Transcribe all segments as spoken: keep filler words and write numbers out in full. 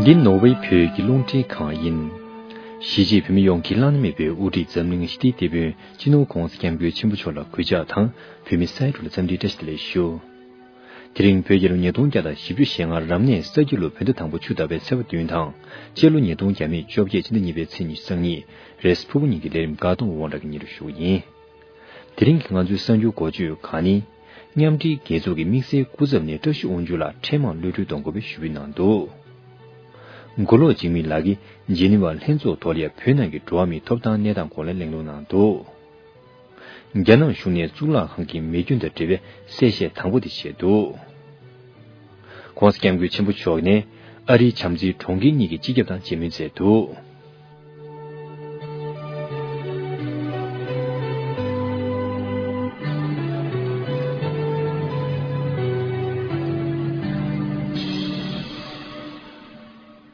འདི་ནོར་ཝེ་བོད་ཀྱི་རླུང་འཕྲིན་ཁང་ཡིན། གཞིས་བྱེས་བོད་མི་ཡོངས་ཀྱི་བླ་ན་མེད་པའི་དབུ་ཁྲིད་འཛམ་གླིང་ཞི་བདེའི་དེད་དཔོན་སྤྱི་ནོར་༧གོང་ས་༧སྐྱབས་མགོན་ཆེན་པོ་མཆོག་ལ་གུས་ཕྱག་དང་། བོད་མི་སའི་འགྲོ་ལ་འཚམས་འདྲིའི་བཀྲ་ཤིས་བདེ་ལེགས་ཞུ། དེ་རིང་བོད་རྒྱལ་ལོ་ཉིས་སྟོང་བརྒྱ་དང་བཞི་བཅུ་ཞེ་ལྔ་རབ་གནས་ས་ཁྱི་ལོ་བོད་ཟླ་དང་པོ་ཆུ་ཟླ་བའི་ཚེས་པ་བདུན་དང་། སྤྱི་ལོ་ཉིས་སྟོང་བརྒྱ་མེད་བཅོ་བརྒྱད་ཕྱི་ཟླ་གཉིས་པའི་ཚེས་ཉི་ཤུ་རྩ་གཉིས། རེས་ཕུར་བུ་ཉིན་གྱི་ལས་རིམ་འགག་སྟོང་དབང་གྲགས་ཀྱིས་སྙན་སྒྲོན་ཞུ་བ་ཡིན། དེ་རིང་གི་ང་ཚོའི་གསར་འགྱུར་འགོ་བརྗོད་ཁག་ནི། མཉམ་འབྲེལ་རྒྱལ་ཚོགས་ཀྱི་དམིགས་བསལ་སྐུ་ཚབ་ནས་བཀྲ་ཤིས་དབང་ཕྱུག་ལགས་འཕྲལ་མར་གློད་གྲོལ་གཏོང་དགོས་པའི་ཞུ་འབོད་གནང་འདུག། མགོ་ལོག་འཇིགས་མེད་ལགས་ཀྱིས་ཇི་ནི་ཝ་ལྷན་ཚོགས་ཐོག་ལ་བོད་ནང་གི་འགྲོ་བ་མིའི་ཐོབ་ཐང་གནས་སྟངས་སྐོར་ལ་གླེང་སློང་གནང་འདུག། རྒྱ་ནག་གཞུང་ནས་གཙུག་ལག་ཁང་གི་མེ་སྐྱོན་དང་འབྲེལ་བའི་གསལ་བཤད་དང་པོ་དེ་བྱས་འདུག། ྋགོང་ས་ྋསྐྱབས་མགོན་ཆེན་པོ་མཆོག་ནས་ཨ་རིའི་བྱམས་བརྩེའི་གྲོང་ཁྱེར་གཉིས་ཀྱི་སྤྱི་ཁྱབ་དང་མཇལ་མོལ་མཛད་འདུག།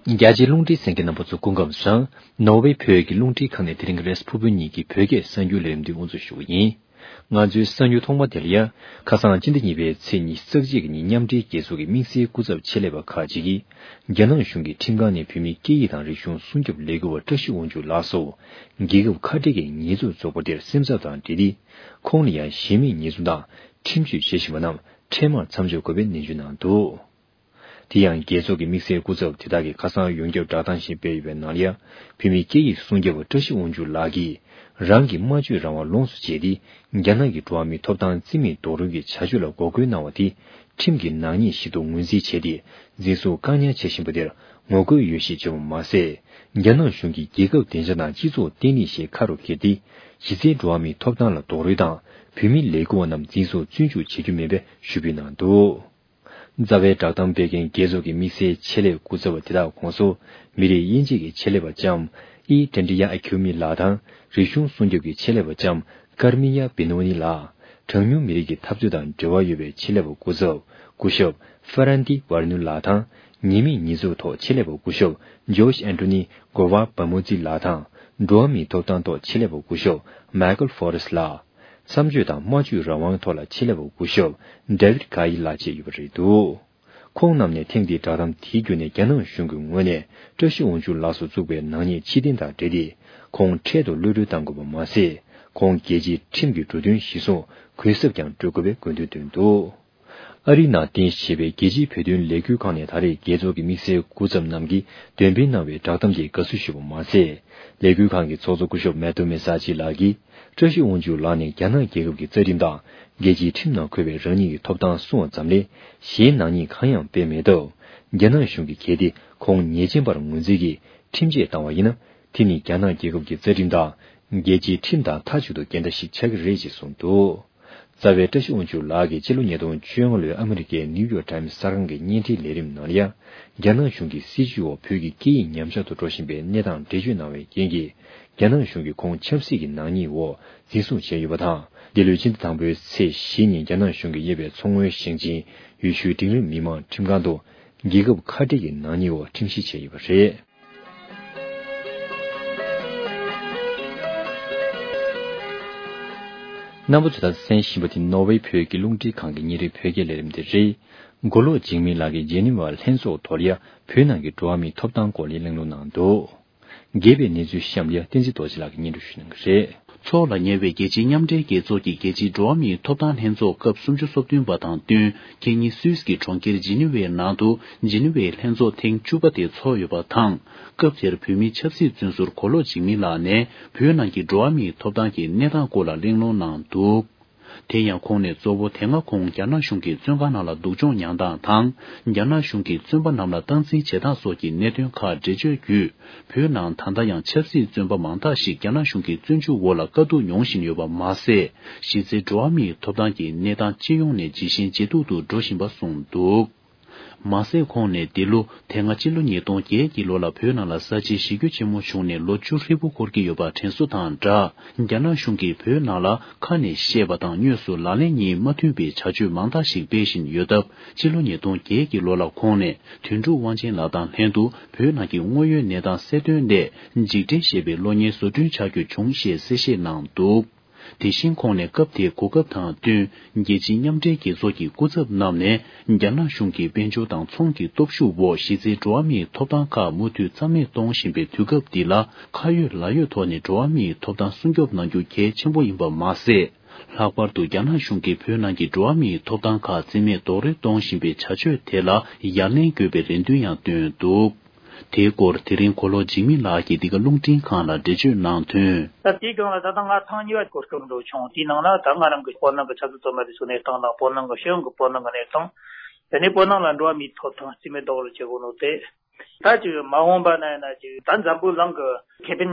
རྒྱ་ཆེའི་རླུང་འཕྲིན་གསན་མཁན་རྣམ་པ་ཚོ་སྐུ་ཁམས་བཟང་། ནོར་ཝེ་བོད་ཀྱི་རླུང་འཕྲིན་ཁང་ནས་དེ་རིང་རེས་ཕུར་བུ་ཉིན་གྱི་བོད་སྐད་གསར་འགྱུར་ལས་རིམ་འདི་དབུ་འཛུགས་ཞུ་བ་ཡིན། ང་ཚོའི་གསར་འགྱུར་ཐོག་མ་དེ་ལ་ཡ། ཁ་སང་སྤྱི་ཟླ་གཉིས་པའི་ཚེས་ཉི་ཤུ་རྩ་གཅིག་གི་ཉིན་མཉམ་འབྲེལ་རྒྱལ་ཚོགས་ཀྱི་དམིགས་བསལ་སྐུ་ཚབ་ཆེད་ལས་པ་ཁག་ཅིག་གིས། རྒྱ་ནག་གཞུང་གི་ཁྲིམས་ཁང་ནས་བོད་མིའི་སྐད་ཡིག་དང་རིག་གཞུང་སྲུང་སྐྱོབ་ལས་འགུལ་བ་བཀྲ་ཤིས་དབང་ཕྱུག་ལགས་སུ། རྒྱལ་ཁབ་ཁ་བྲལ་གྱི་ཉེས་འཛུགས་བཙུགས་པ་དེར་སེམས་འཚབ་དང་འབྲེལ་ཏེ། ཁོང་ལ་ཡང་གཞི་མེད་ཉེས་འཛུགས་དང་ཁྲིམས་གཅོད་བྱེད་བཞིན་པ་རྣམས་འཕྲལ་མར་མཚམས་འཇོག་དགོས་པའི་ནན་བརྗོད་གནང་འདུག། དེ་ཡང་རྒྱལ་ཚོགས་ཀྱི་དམིགས་བསལ་སྐུ་ཚབ་དེ་དག་གིས་ཁ་སང་ཡོངས་ཁྱབ་བསྒྲགས་གཏམ་ཞིག་སྤེལ་ཡོད་པའི་ནང་ལ་ཡ། བོད་མིའི་སྐད་ཡིག་སྲུང་སྐྱོབ་པ་བཀྲ་ཤིས་དབང་ཕྱུག་ལགས་ཀྱིས། རང་གི་སྨྲ་བརྗོད་རང་དབང་ལོངས་སུ་སྤྱད་དེ། རྒྱ་ནག་གི་འགྲོ་བ་མིའི་ཐོབ་ཐང་རྩིས་མེད་རྡོག་རོལ་གྱི་བྱ་སྤྱོད་ལ་འགོག་རྒོལ་གནང་བ་དེ། ཁྲིམས་ཀྱི་ནག་ཉེས་ཤིག་ཏུ་ངོས་འཛིན་བྱས་ཏེ། འཛིན་བཟུང་བཀག་ཉར་བྱེད་བཞིན་པ་དེར་ངོ་རྒོལ་ཡོད་ཞེས་བརྗོད་པ་མ་ཟད། རྒྱ་ནག་གཞུང་གིས་རྒྱལ་ཁབ་བདེ་འཇགས་དང་སྤྱི་ཚོགས་བརྟན་ལྷིང་ཞེས་ཁ་རུ་འཁྱེར་ཏེ། གཞི་རྩའི་འགྲོ་བ་མིའི་ཐོབ་ཐང་ལ་རྡོག་རོལ་དང་། བོད་མི་ལས་འགུལ་བ་རྣམས་འཛིན་བཟུང་བཙོན་འཇུག་བྱེད་རྒྱུ་མིན་པའི་ཞུ་འབོད་གནང་འདུག། རྩ་བའི་བསྒྲགས་གཏམ་སྤེལ་མཁན་རྒྱལ་ཚོགས་ཀྱི་དམིགས་བསལ་ཆེད་ལས་སྐུ་ཚབ་པ་དེ་དག་ཁོངས་སུ། མི་རིགས་དབྱེ་འབྱེད་ཀྱི་ཆེད་ལས་པ་ལྕམ་ཨི་ཏྲན་ཏྲི་ཡ་ཨ་ཁྱུ་མི་ལགས་དང་། རིག་གཞུང་སྲུང་སྐྱོབ་ཀྱི་ཆེད་ལས་པ་ལྕམ་ཀར་མི་ཡ་བི་ནོ་ནི་ལགས། གྲངས་ཉུང་མི་རིགས་ཀྱི་འཐབ་རྩོད་དང་འབྲེལ་བ་ཡོད་པའི་ཆེད་ལས་པ་སྐུ་ཚབ་སྐུ་ཞབས་ཧྥ་རན་ཏི་ཝར་ནུ་ལགས་དང་། ཉེས་མེད་ཉེས་འཛུགས་ཐོག་ཆེད་ལས་པ་སྐུ་ཞབས་ཇོརྗ་ཨན་ཏོ་ནི་གོ་ཝ་བ་མོ་ཛི་ལགས་དང་། འགྲོ་བ་མིའི་ཐོབ་ཐང་ཐོག་ཆེད་ལས་པ་སྐུ་ཞབས་མའི་ཀལ་ཧྥོ་རེ་སི་ལགས། མཚམས་གཅོད་དང་སྨྲ་བརྗོད་རང་དབང་ཐོག་ལ་ཆེད་ལས་པ་སྐུ་ཞབས་ཌེ་ཝིད་ཀ་ཡི་ལགས་བཅས་ཡོད་པ་རེད་འདུག། ཁོང་རྣམས་ནས་ཐེངས་འདིའི་བསྒྲགས་གཏམ་དེའི་བརྒྱུད་ནས་རྒྱ་ནག་གཞུང་གི་ངོས་ནས་བཀྲ་ཤིས་དབང་ཕྱུག་ལགས་སུ་བཙུགས་པའི་ནག་ཉེས་ཕྱིར་འཐེན་དང་འབྲེལ་ཏེ། ཁོང་འཕྲལ་དུ་གློད་གྲོལ་གཏང་དགོས་པ་མ་ཟད། ཁོང་རྒྱལ་སྤྱིའི་ཁྲིམས་ཀྱི་འགྲོ་དོན་གཞིར་བཟུང་གུས་ཞབས་ཀྱང་སྤྲོད་དགོས་པའི་དགོས་འདུན་བཏོན་འདུག། ཨ་རིའི་ནང་རྟེན་གཞི་བྱས་པའི་རྒྱལ་སྤྱིའི་བོད་དོན་ལས་འགུལ་ཁང་ནས་ད་རེས་རྒྱལ་ཚོགས་ཀྱི་དམིགས་བསལ་སྐུ་ཚབ་རྣམས་ཀྱིས་འདོན་སྤེལ་གནང་བའི་བསྒྲགས་གཏམ་དེར་དགའ་བསུ་ཞུས་པ་མ་ཟད། ལས་འགུལ་ཁང་གི་ཚོགས་གཙོ་སྐུ་ཞབས་མེ་ཏོ་མེ་ས་ཅི་ལགས་ཀྱིས། བཀྲ་ཤིས་དབང་ཕྱུག་ལགས་ནས་རྒྱ་ནག་རྒྱལ་ཁབ་ཀྱི་རྩ་ཁྲིམས་དང་། རྒྱལ་སྤྱིའི་ཁྲིམས་ནང་འཁོད་པའི་རང་ཉིད་ཀྱི་ཐོབ་ཐང་སྲུང་བ་ཙམ་ལས། གཞན་ནག་ཉེས་གང་ཡང་སྤེལ་མེད་སྟབས། རྒྱ་ནག་གཞུང་གི་གལ་ཏེ་ཁོང་ཉེས་ཅན་པར་ངོས་འཛིན་གྱིས་ཁྲིམས་ཆད་བཏང་བ་ཡིན་ན། དེ་ནི་རྒྱ་ནག་རྒྱལ་ཁབ་ཀྱི་རྩ་ཁྲིམས་དང་། རྒྱལ་སྤྱིའི་ཁྲིམས་དང་མཐའ་གཅིག་ཏུ་འགལ་ཟླ་ཞིག་ཆགས་ཀྱི་རེད་ཅེས་གསུངས་འདུག། རྩ་བའི་བཀྲ་ཤིས་དབང་ཕྱུག་ལགས་ཀྱིས་སྤྱི་ལོ་ཉིས་སྟོང་བཅོ་ལྔ་ལོའི་ཨ་མི་རི་ཀའི་ནིའུ་ཡོག་ཊའིམ་གསར་ཁང་གི་བརྙན་འཕྲིན་ལས་རིམ་ནང་ལ་ཡང་། རྒྱ་ནག་གཞུང་གི་སྲིད་བྱུས་འོག་བོད་ཀྱི་སྐད་ཡིག་ཉམས་ཆག་ཏུ་འགྲོ་བཞིན་པའི་གནས་སྟངས་འགྲེལ་བརྗོད་གནང་བའི་རྐྱེན་གྱིས། རྒྱ་ནག་གཞུང་གིས་ཁོང་ཆབ་སྲིད་ཀྱི་ནག་ཉེས་འོག་འཛིན་བཟུང་བྱས་ཡོད་པ་དང་། འདི་ལོའི་སྤྱི་ཟླ་དང་པོའི་ཚེས་བཞི་ཉིན་རྒྱ་ནག་གཞུང་གིས་གཡས་པའི་མཚོ་སྔོན་ཞིང་ཆེན་ཡུལ་ཤུལ་འབྲིང་རིམ་མི་དམངས་ཁྲིམས་ཁང་དུ། རྒྱལ་ཁབ་ཁ་བྲལ་གྱི་ནག་ཉེས་འོག་ཁྲིམས་ཞིབ་བྱས་ཡོད་པ་རེད། རྣམ་པ་ཚོས་ད་གསན་བཞིན་པ་དེ་ནོར་ཝེ་བོད་ཀྱི་རླུང་འཕྲིན་ཁང་གི་ཉིན་རེའི་བོད་སྐད་ལས་རིམ་དེ་རེད། མགོ་ལོག་འཇིགས་མེད་ལགས་ཀྱིས་ཇེ་ནི་ཝ་ལྷན་ཚོགས་ཐོག་ལ་ཡ་བོད་ནང་གི་འགྲོ་བ་མིའི་ཐོབ་ཐང་སྐོར་ལ་གླེང་སློང་གནང་འདུག། རྒྱས་པའི་གནས་ཚུལ་གཤམ་ལ་ཡ་བསྟན་འཛིན་རྡོ་རྗེ་ལགས་ཀྱིས་སྙན་སྒྲོན་ཞུ་གནང་གི་རེད། འཚོགས་ལ་ཉེ་བའི་རྒྱལ་སྤྱིའི་མཉམ་འབྲེལ་རྒྱལ་ཚོགས་ཀྱི་རྒྱལ་སྤྱིའི་འགྲོ་བ་མིའི་ཐོབ་ཐང་ལྷན་ཚོགས་སྐབས་སུམ་ཅུ་སོ་བདུན་པ་དང་བསྟུན། ཁེ་ཉིན་སུད་སི་གི་གྲོང་ཁྱེར་ཇི་ནི་ཝའི་ནང་དུ་ཇི་ནི་ཝའི་ལྷན་ཚོགས་ཐེངས་བཅུ་པ་དེ་འཚོགས་ཡོད་པ་དང་། སྐབས་དེར་བོད་མིའི་ཆབ་སྲིད་བཙོན་ཟུར་མགོ་ལོག་འཇིགས་མེད་ལགས་ནས་བོད་ནང་གི་འགྲོ་བ་མིའི་ཐོབ་ཐང་གི་གནས་སྟངས་སྐོར་ལ་གླེང་སློང་གནང་འདུག། དེ་ཡང་ཁོང་ནས་གཙོ་བོ་དེ་སྔ་ཁོང་རྒྱ་ནག་གཞུང་གི་བཙོན་ཁང་ནང་ལ་སྡུག་སྦྱོང་མྱངས་སྟངས་དང་། རྒྱ་ནག་གཞུང་གིས་བཙོན་པ་རྣམས་ལ་སྟངས་འཛིན་བྱེད་སྟངས་སོགས་ཀྱི་གནད་དོན་ཁག་འགྲེལ་བརྗོད་བརྒྱུད། བོད་ནང་ད་ལྟ་ཡང་ཆབ་སྲིད་བཙོན་པ་མང་དག་ཞིག་རྒྱ་ནག་གཞུང་གི་བཙོན་འཇུག་འོག་ལ་དཀའ་སྡུག་མྱོང་བཞིན་ཡོད་པ་མ་ཟད། གཞི་རྩའི་འགྲོ་བ་མིའི་ཐོབ་ཐང་གི་གནས་སྟངས་སྤྱི་ཡོངས་ནས་ཇེ་ཞན་ཇེ་སྡུག་ཏུ་འགྲོ་བཞིན་པ་གསུངས་འདུག། མ་ཟད་ཁོང་ནས་འདི་ལོ་དེ་སྔ་ཕྱི་ལོ་ཉིས་སྟོང་བརྒྱད་ཀྱི་ལོ་ལ་བོད་ནང་ལ་གསར་བརྗེའི་གཞི་རྒྱ་ཆེན་མོ་བྱུང་ནས་ལོ་བཅུ་ཧྲིལ་པོ་འཁོར་གྱི་ཡོད་པ་དྲན་གསོ་དང་སྦྲགས། རྒྱ་ནག་གཞུང་གིས་བོད་ནང་ལ་ཁ་ནས་བཤད་པ་དང་དངོས་སུ་ལག་ལེན་གཉིས་མ་མཐུན་པའི་བྱ་སྤྱོད་མང་དག་ཞིག་སྤེལ་བཞིན་ཡོད་སྟབས། ཕྱི་ལོ་ཉིས་སྟོང་བརྒྱད་ཀྱི་ལོ་ལ་ཁོང་ནས་དོན་གྲུབ་དབང་ཆེན་ལགས་དང་ལྷན་དུ་བོད་ནང་གི་དངོས་ཡོད་གནས་སྟངས་གསལ་སྟོན་སླད་འཇིགས་བྲལ་ཞེས་པའི་གློག་བརྙན་བཟོ་སྐྲུན་བྱ་རྒྱུ་བྱུང་ཞེས་གསལ་བཤད་གནང་འདུག། དེ་བཞིན་ཁོང་ནས་སྐབས་དེའི་གོ་སྐབས་དང་བསྟུན། རྒྱལ་སྤྱིའི་མཉམ་འབྲེལ་རྒྱལ་ཚོགས་ཀྱི་སྐུ་ཚབ་རྣམས་ནས་རྒྱ་ནག་གཞུང་གི་དཔལ་འབྱོར་དང་ཚོང་གི་སྟོབས་ཤུགས་འོག་གཞི་རྩའི་འགྲོ་བ་མིའི་ཐོབ་ཐང་ཁག་མུ་མཐུད་རྩ་མེད་གཏོང་བཞིན་པའི་དུས་སྐབས་འདི་ལ། ཁ་ཡོད་ལག་ཡོད་ཐོག་ནས་འགྲོ་བ་མིའི་ཐོབ་ཐང་སྲུང་སྐྱོབ་གནང་རྒྱུ་གལ་ཆེན་པོ་ཡིན་པ་མ་ཟད། ལྷག་པར་དུ་རྒྱ་ནག་གཞུང་གིས་བོད་ནང་གི་འགྲོ་བ་མིའི་ཐོབ་ཐང་ཁག་རྩིས་མེད་རྡོག་རོལ་གཏོང་བཞིན་པའི་བྱ་སྤྱོད་དེ་ལ་ཡ་ལན་དགོས་པའི་རེ་འདུན་ཡང་བཏོན་འདུག། དེའི་སྐོར་དེ་རིང་གོ་ལོག་འཇིགས་མེད་ལགས་ཀྱིས་འདི་ག་རླུང་འཕྲིན་ཁང་ལ་འགྲེལ་བརྗོད་གནང་དོན། ད་དེའི་སྒང་ལ་ད་ལྟ་ང་ཐེངས་གཉིས་པ་གོ་སྐབས་འགྲོ་བྱུང་། དེའི་ནང་ལ་ད་ང་རང་གི་སྤོ་ནང་གི་ཆབ་སྲིད་དོན་པ་དེ་ཚོའི་གནས་སྟངས་དང་། སྤོ་ནང་གི་ཤེས་ཡོན་གྱི་སྤོ་ནང་གི་གནས་སྟངས། དེ་ནས་སྤོ་ནང་ལ་འགྲོ་བ་མིའི་ཐོབ་ཐང་རྩིས་མེད་རྡོག་རོལ་བྱེད་དགོས་ནོ་དེ། ད་ཅིག་མ་འོངས་པ་ན་ཡིན་ན་ཅིག་ད་འཛམ་བུ་གླིང་གི་ཁེ་ཕན་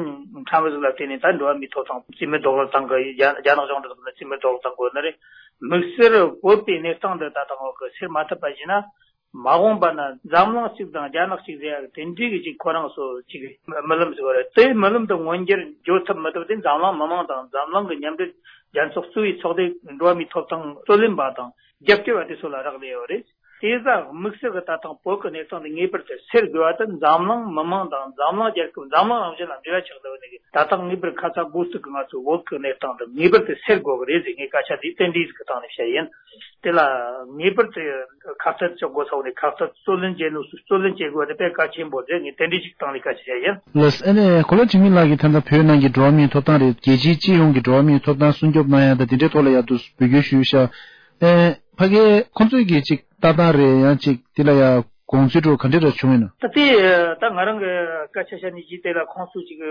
ཕྲན་བུ་ཟིག་ལ་བརྟེན་ནས་ད་འགྲོ་བ་མིའི་ཐོབ་ཐང་རྩིས་མེད་རྡོག་རོལ་བཏང་གི། རྒྱ་རྒྱ་ནག་གཞུང་འབྲེལ་ཟིག་ལ་རྩིས་མེད་རྡོག་རོལ་བཏང་དགོས་ནི་རེད། དམིགས་བསལ་བོད་པའི་གནས་སྟངས་འདི་ད་ལྟ་འོག་གི་སེལ་མ་ཐུབ་པ་ཡིན་ན། མ་འོངས་པ་ན་འཛམ་གླིང་གཅིག་དང་རྒྱ་ནག་གཅིག་ཟེར་ཡག་དེ་འདྲའི་གི་ཅིག་ཁོ་རང་ཚོ་ཅིག་རྨི་ལམ་ཟིག་ཡོད་རེད། དེ་རྨི་ལམ་དེ་མངོན་འགྱུར་འགྱུར་ཐབས་མི་ཐུབ་དེ་འཛམ་གླིང་མི་མང་དང་འཛམ་གླིང་གི་མཉམ་འབྲེལ་རྒྱལ་ཚོགས་གཙོ་བོའི་ཚོགས་སྡེ་འགྲོ་བ་མིའི་ཐོབ་ཐང་རྩོད་ལེན་པ་དང་རྒྱབ་སྐྱོར་བ་དེ་ཚོ་ལ་རག་ལས་ཡོད་རེད། དེ་ཟ་དམིགས་བསལ་གྱི་ད་ཐེངས་བོད་ཀྱི་གནས་སྟངས་དེ་ངེས་པར་དུ་སེལ་དགོས་པ་དེ་འཛམ་གླིང་མི་མང་དང་འཛམ་གླིང་རྒྱལ་ཁབ། འཛམ་གླིང་རང་བཞིན་ལ་འབྲེལ་བ་ཆགས་བསྡད་པ་ནས། ད་ཐེངས་ངེས་པར་ཁ་ཚ་དགོས་གཏུག་གི་ང་ཚོ་བོད་ཀྱི་གནས་སྟངས་དེ་ངེས་པར་དུ་སེལ་དགོས་ཀྱི་རེད་ཟེར་ངས་སྐད་ཆ་འདི་རྟེན་འབྲེལ་ཟིག་གི་སྟེང་ནས་བཤད་ཡིན། དེ་ལ་ངེས་པར་དུ་ཁ་གཏད་གཅོག་དགོས་ས་བོ་ནས་ཁ་གཏད་རྩོད་ལེན་བྱེད་ནོ་སུ་རྩོད་ལེན་བྱེད་དགོས་པ་དེ་དཔེ་གལ་ཆེན་པོ་རེད། ངས་རྟེན་འབྲེལ་ཞིག་སྟེང་ནས་སྐད་ཆ་བཤད་ཡིན། ལགས་སོ། ཨ་ནི་གོ་ལ་འཇིགས་མེད་ལགས་ཀྱིས་ད་ལྟ་བོད་ནང་གི་འགྲོ་བ་མིའི་ཐོབ་ཐང་རེད། རྒྱལ་སྤྱིའི་སྤྱི་ཡོངས་ཀྱི་འགྲོ་བ་མིའི་ཐོབ་ཐང་སྲུང་སྐྱོབ་གནང་ཡ་ད་དེ་འདྲའི་ཐོག་ལ་ཡ་དུ་འབོད་སྐུལ་ཞུས་ཤག། ཨེ། ཕ་གིའི་ཁོང་ཚོས་ཀྱི་ཅིག་ལྟ་སྟངས་རེད། ཡང་ཅིག་དེ་ལ་ཡ་དགོངས་ཚུལ་འདྲ་ག་འདྲ་འདྲ་བྱུང་ཡོད་ན། ད་དེ་ད་ང་རང་གི་སྐད་ཆ་བཤད་ནས་ཅིག་དེ་ལ་ཁོང་ཚོས་ཅིག་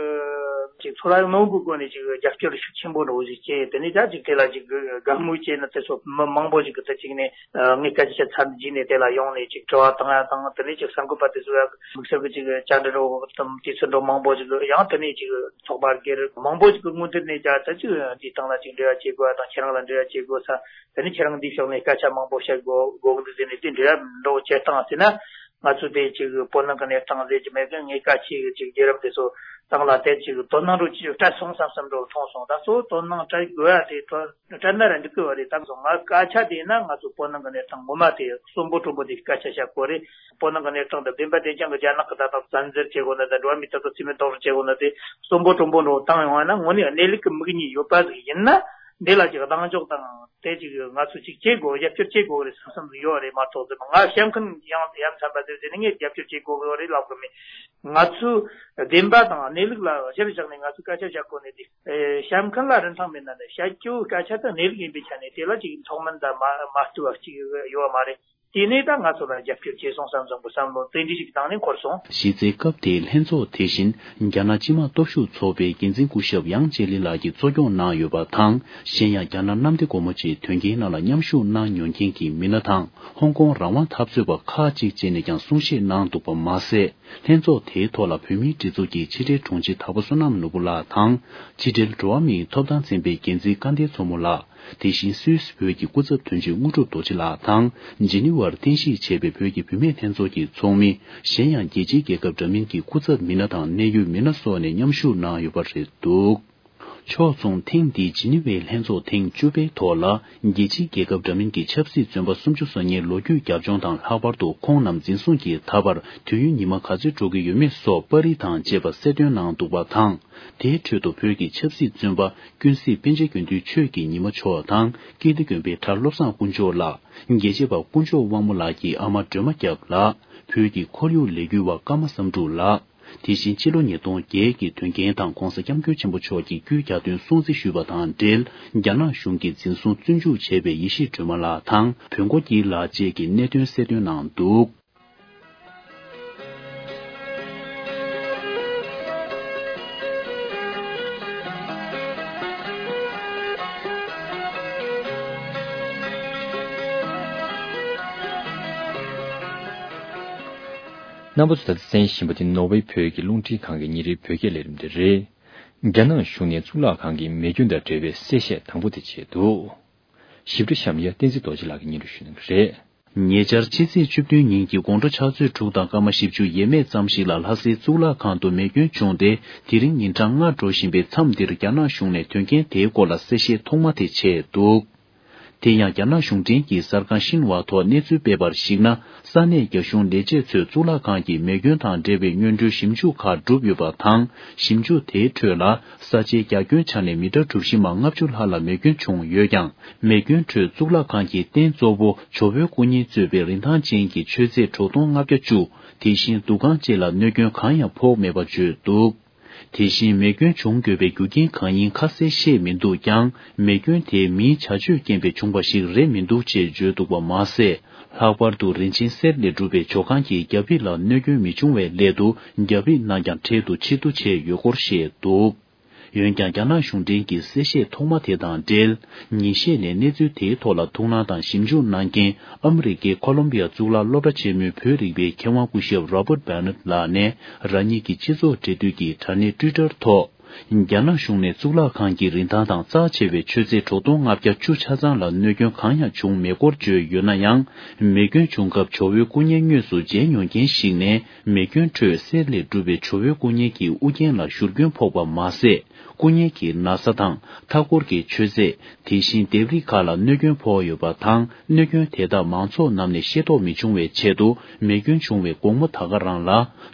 ཅིག་ཚོར་བ་ནོར་བུའི་སྒོ་ནས་ཅིག་རྒྱབ་སྐྱོར་ཤུགས་ཆེན་པོ་འདྲ་བོ་ཞིག་བྱས། དེ་ནས་ད་ཅིག་དེ་ལ་ཅིག་དགའ་མོས་བྱས་ན་དེ་ཚོ་མི་མང་པོ་ཞིག་གི་ད་ཅིག་ནས་ངས་སྐད་ཆ་ཆ་ཚར་རྗེས་ནས་དེ་ལ་ཡོང་ནས་ཅིག་དྲི་བ་བཏང་ཡ་དང་། དེ་ནས་ཅིག་གསར་འགོད་པ་དེ་ཚོ་ཡ་དམིགས་བསལ་གྱི་ཅིག་བཅར་འདྲི་འདྲ་བོ་དང་དུས་ཚོད་འདྲ་མང་པོ་ཞིག་ཡང་དེ་ནས་ཅིག་ཚོགས་པ་སྒེར་མང་པོ་ཞིག་གི་ངོས་འཛིན་ནས་ཀྱང་ད་ཅིག་འདིའི་སྟེང་ལ་ཅིག་འབྲེལ་བ་བྱེད་དགོས་དང་། ཁྱེད་རང་ལ་འབྲེལ་བ་བྱེད་དགོས་ས། དེ་ནས་ཁྱེད་རང་འདི་ཕྱོགས་ནས་སྐད་ཆ་མང་པོ་བཤད་དགོས་དགོས་ཀྱི་འདུག་ཟེར་ནས་དེ་འབྲེལ་བ་འདྲ་བོ་བྱེད་སྟངས་ཟེར་ན། ང་ཚོ་དེ་ཅིག་སྤོ་ནང་གི་གནས་སྟངས་ཟེར་གྱི་མེད་གི། ངས་སྐད་ཆ་ཅིག་རྒྱལ་རབས་དེ་ཚོ་སྟེང་ལ་དེ་ཅིག་དོ་སྣང་འདྲ་བོ་ཅིག་སྤྲད་སོང་བསམ་བསམ་འདྲ་བོ་མཐོང་སོང་། ད་གཙོ་བོ་དོ་སྣང་སྤྲད་དགོས་ཡ་དེ་དོ་སྤྲད་ན་ར་འགྲིག་གི་བ་རེད། ད་གཟོད་ང་སྐད་ཆ་དེ་ཡིན་ན་ང་ཚོ་སྤོ་ནང་གི་གནས་སྟངས་ངོ་མ་དེ་གསོན་པོ་དྲོན་པོ་དེ་སྐད་ཆ་བཤད་དགོས་རེད། སྤོ་ནང་གི་གནས་སྟངས་དེ་བདེན་པ་བདེན་རྐྱང་གི་རྒྱ་ནག་གི་ད་ལྟ་བཙན་འཛུལ་བྱེད་དགོས་ན། ད་འགྲོ་བ་མིའི་ཐོབ་ཐང་རྩིས་མེད་རྡོག་རོལ་བྱེད་དགོས་ན་དེ་གསོན་པོ་དྲོན་པོ་འདྲ་བོ་བཏང་ཡོང་བ་ན། དངོས་གནས་གནས་ལུགས་ཀྱི་མིག་གཉིས་ཡོད་པ་ཟིག་ཡིན་ན། འདི་ལ་ཅིག་གདེང་འཇོག་དང་དེ་ཅིག་ང་ཚོས་ཅིག་བྱེད་དགོས། རྒྱབ་སྐྱོར་བྱེད་དགོས་རེད་བསམ་བསམ་ཡོད་རེད་མ་གཏོགས། ང་བཤད་མཁན་ཡང་ཡ་མཚན་པ་ཟེར་ཟེར་ནས་ངས་རྒྱབ་སྐྱོར་བྱེད་དགོས་རེད་ལབ་གི་མེད། ང་ཚོས་བདེན་པ་དང་གནས་ལུགས་ལ་གཞིར་བཞག་ནས་ང་ཚོས་སྐད་ཆ་བཤད་དགོས་ནས། དེ་བཤད་མཁན་ལ་རིན་ཐང་མེད་ན་ནི་བཤད་རྒྱུ་སྐད་ཆ་དེ་གནས་ལུགས་ཡིན་པའི་ཆ་ནས་དེ་ལ་ཅིག་མཚོགས་མིན་དང་མ་མ་བསྟུན་པ་ཅིག་ཡོད་མ་རེད། དེ་ནས་ད་ང་ཚོ་ལ་རྒྱབ་སྐྱོར་བྱས་སོང་བསམ་བསམ་གི་བསམ་བློ་དེ་འདྲ་ཞིག་བཏང་ནས་འཁོར་སོང་། གཞི་རྩའི་སྐབས་དེའི་ལྷན་ཚོགས་དེ་བཞིན་རྒྱ་ནག་སྤྱི་དམངས་སྟོབས་ཤུགས་ཚོགས་པའི་འགན་འཛིན་སྐུ་ཞབས་ཡང་ཅེ་ལི་ལགས་ཀྱིས་གཙོ་སྐྱོང་གནང་ཡོད་པ་དང་། གཞན་ཡང་རྒྱ་ནག་གནམ་བདེ་སྒོ་མོ་ཆེའི་དོན་རྐྱེན་ནང་ལ་མཉམ་ཞུགས་གནང་མྱོང་མཁན་གྱི་མི་སྣ་དང་། ཧོང་ཀོང་རང་དབང་འཐབ་རྩོད་པ་ཁག་ཅིག་བཅས་ནས་ཀྱང་གསུང་བཤད་གནང་འདུག་པ་མ་ཟད། ལྷན་ཚོགས་དེའི་ཐོག་ལ་བོད་མིའི་སྒྲིག་འཛུགས་ཀྱི་ཕྱི་དྲིལ་དྲུང་ཆེ་དྭགས་པོ་བསོད་ནམས་ནོར་བུ་ལགས་དང་། ཕྱི་དྲིལ་འགྲོ་བ་མིའི་ཐོབ་ཐང་ཚན་པའི་འགན་འཛིན་སྐལ་ལྡན་མཚོ་མོ་ལགས། དེ་བཞིན་སུད་སི་བོད་ཀྱི་སྐུ་ཚབ་དོན་གཅོད་དངོས་གྲུབ་རྡོ་རྗེ་ལགས་དང་། ཇི་ནི་ཝར་རྟེན་གཞི་བྱས་པའི་བོད་ཀྱི་བུད་མེད་ལྷན་ཚོགས་ཀྱི་ཚོགས་མི། གཞན་ཡང་རྒྱལ་སྤྱིའི་རྒྱལ་ཁབ་འདྲ་མིན་གྱི་སྐུ་ཚབ་མི་སྣ་དང་གནད་ཡོད་མི་སྣ་སོགས་ནས་མཉམ་ཞུགས་གནང་ཡོད་པ་རེད་འདུག། ཕྱོགས་མཚུངས་ཐེངས་འདིའི་ཇི་ནི་ཝའི་ལྷན་ཚོགས་ཐེངས་བཅུ་པའི་ཐོག་ལ། རྒྱལ་སྤྱིའི་རྒྱལ་ཁབ་འདྲ་མིན་གྱི་ཆབ་སྲིད་བཙོན་པ་སུམ་ཅུ་སོ་ལྔའི་ལོ་རྒྱུས་རྒྱབ་ལྗོངས་དང་། ལྷག་པར་དུ་ཁོང་རྣམས་འཛིན་བཟུང་གིས་ད་བར་དུས་ཡུན་ཉི་མ་ག་ཚོད་འགྲོ་གི་ཡོད་མེད་སོགས་པར་རིས་དང་བཅས་པ་གསལ་སྟོན་གནང་འདུག་པ་དང་། དེའི་ཁྲོད་དུ་བོད་ཀྱི་ཆབ་སྲིད་བཙོན་པ་ཀུན་གཟིགས་པཎ་ཆེན་དགེ་འདུན་ཆོས་ཀྱི་ཉི་མ་མཆོག་དང་། ཀིརྟི་དགོན་པའི་གྲྭ་བློ་བཟང་དཀོན་མཆོག་ལགས། རྒྱལ་གཅེས་པ་དཀོན་མཆོག་དབང་མོ་ལགས་ཀྱི་ཨ་མ་སྒྲོལ་མ་སྐྱབས་ལགས། བོད་ཀྱི་ཁོར་ཡུག་ལས་འགུལ་བ་ཀརྨ་བསམ་འགྲུབ་ལགས། དེ་བཞིན་ཕྱི་ལོ་ཉིས་སྟོང་བརྒྱད་ཀྱི་དོན་རྐྱེན་དང་གོང་ས་སྐྱབས་མགོན་ཆེན་པོ་མཆོག་གི་རྒྱུད་རྒྱ་སྟོན་སྲུང་བརྩི་ཞུས་པ་དང་འབྲེལ། རྒྱ་ནག་གཞུང་གིས་འཛིན་བཟུང་བཙོན་འཇུག་བྱས་པའི་ཡེ་ཤེས་སྒྲོལ་མ་ལགས་དང་བོན་སྒོ་སྐྱིད་ལགས་བཅས་ཀྱི་གནད་དོན་གསལ་སྟོན་གནང་འདུག། རྣམ་པ་ཚོ་ད་ལྟ་གསན་བཞིན་པ་དེ་ནོར་ཝེ་བོད་ཀྱི་རླུང་འཕྲིན་ཁང་གི་ཉིན་རེའི་བོད་སྐད་ལས་རིམ་དེ་རེད། རྒྱ་ནག་གཞུང་ནས་གཙུག་ལག་ཁང་གི་མེ་སྐྱོན་དང་འབྲེལ་བའི་གསལ་བཤད་དང་པོ་དེ་བྱས་འདུག། ཞིབ་ཕྲ་གཤམ་ཡ་བསྟན་འཛིན་རྡོ་རྗེ་ལགས་ཀྱིས་སྙན་སྒྲོན་ཞུ་གནང་གི་རེད། ཉེ་ཆར་ཕྱི་ཚེས་བཅུ་བདུན་ཉིན་གྱི་དགོང་དྲོ་ཕྱག་ཚོད་དྲུག་དང་སྐར་མ་བཞི་བཅུ་ཡས་མས་ཙམ་ཞིག་ལ་ལྷ་སའི་གཙུག་ལག་ཁང་དུ་མེ་སྐྱོན་བྱུང་སྟེ། དེ་རིང་ཉིན་གྲངས་ལྔ་འགྲོ་བཞིན་པའི་མཚམས་འདིར་རྒྱ་ནག་གཞུང་ནས་དོན་རྐྱེན་དེའི་སྐོར་ལ་གསལ་བཤད་ཐོག་མ་དེ་བྱས་འདུག། དེ་ཡང་རྒྱ་ནག་གཞུང་འབྲེལ་གྱི་གསར་ཁང་ཤིན་ཧྭ་ཐོག་གནས་ཚུལ་སྤེལ་བར་གཞིགས་ན། ས་གནས་རྒྱ་གཞུང་ལས་བྱེད་ཚོས་གཙུག་ལག་ཁང་གི་མེ་སྐྱོན་དང་འབྲེལ་བའི་སྔོན་འགྲོའི་ཞིབ་འཇུག་ཁག་བསྒྲུབས་ཡོད་པ་དང་། ཞིབ་འཇུག་དེའི་ཁྲོད་ལ། ས་ཆའི་རྒྱ་ཁྱོན་ཆ་ནས་མི་ཊར་གྲུ་བཞི་མ་ལྔ་བཅུ་ལྷག་ལ་མེ་སྐྱོན་བྱུང་ཡོད་ཀྱང་། མེ་སྐྱོན་ཁྲོད་གཙུག་ལག་ཁང་གི་རྟེན་གཙོ་བོ་ཇོ་བོའི་སྐུ་བརྙན་གཙོས་པའི་རིན་ཐང་ཅན་གྱི་མཆོད་རྫས་དྲུག་སྟོང་ལྔ་བརྒྱ་བཅུ། དེ་བཞིན་འདུ་ཁང་བཅས་ལ་གནོད་སྐྱོན་གང་ཡང་ཕོག་མེད་པ་བརྗོད་འདུག་དེ་བཞིན་མེ་སྐྱོན་བྱུང་དགོས་པའི་རྒྱུ་རྐྱེན་གང་ཡིན་ཁ་གསལ་བཤད་མི་འདུག་ཀྱང་། མེ་སྐྱོན་དེ་མིའི་བྱ་སྤྱོད་རྐྱེན་པས་བྱུང་བ་ཞིག་རེད་མི་འདུག་ཅེས་བརྗོད་འདུག་པ་མ་ཟད། ལྷག་པར་དུ་རིན་ཆེན་གསེར་ལས་གྲུབ་པའི་ཇོ་ཁང་གི་རྒྱ་ཕིབས་ལ་གནོད་སྐྱོན་མི་བྱུང་བའི་སླད་དུ། རྒྱ་ཕིབས་རྣམས་ཀྱང་འཕྲལ་དུ་ཕྱིར་བསྡུ་བྱས་ཡོད་སྐོར་བཤད་འདུག་འོན་ཀྱང་། རྒྱ་ནག་གཞུང་འབྲེལ་གྱི་གསལ་བཤད་ཐོག་མ་དེ་དང་འབྲེལ། ཉིན་ཤས་ནས་གནས་ཚུལ་དེའི་ཐོག་ལ་ཐུགས་སྣང་དང་ཞིབ་འཇུག་གནང་མཁན་ཨ་མི་རི་ཀའི་ཁོ་ལོམ་བི་ཡ་གཙུག་ལག་སློབ་གྲྭ་ཆེན་མོའི་བོད་རིག་པའི་མཁས་དབང་སྐུ་ཞབས་Robert Bennett ལགས་ནས། རང་ཉིད་ཀྱི་སྤྱི་ཚོགས་འབྲེལ་མཐུད་ཀྱི་དྲ་གནས་Twitter ཐོག་རྒྱ་ནག་གཞུང་ནས་གཙུག་ལག་ཁང་གི་རིན་ཐང་དང་རྩ་ཆེ་བའི་མཆོད་རྫས་དྲུག་སྟོང་ལྔ་བརྒྱ་བཅུ་ཆ་ཚང་ལ་གནོད་སྐྱོན་གང་ཡང་བྱུང་མེད་སྐོར་བརྗོད་ཡོད་ན་ཡང་། མེ་སྐྱོན་བྱུང་སྐབས་ཇོ་བོའི་སྐུ་བརྙན་དངོས་སུ་མཇལ་མྱོང་མཁན་ཞིག་ནས། མེ་སྐྱོན་ཁྲོད་གསེར་ལས་གྲུབ་པའི་ཇོ་བོའི་སྐུ་བརྙན་གྱི་དབུ་རྒྱན་ལ་བཞུར་སྐྱོན་ཕོག་པ་མ་ཟད། སྐུ་བརྙན་གྱི་ན་བཟའ་དང་མཐའ་འཁོར་གྱི་མཆོད་རྫས། དེ་བཞིན་ལྡེབས་རིས་ཁག་ལ་གནོད་སྐྱོན་ཕོག་ཡོད་པ་དང་། གནོད་སྐྱོན་དེ་དག་མང་ཚོགས་རྣམས་ནས་ཤེས་རྟོགས་མི་བྱུང་བའི་ཆེད་དུ། མེ་སྐྱོན་བྱུང་བའི་དགོང་མོ་ད་ག་རང་ལ།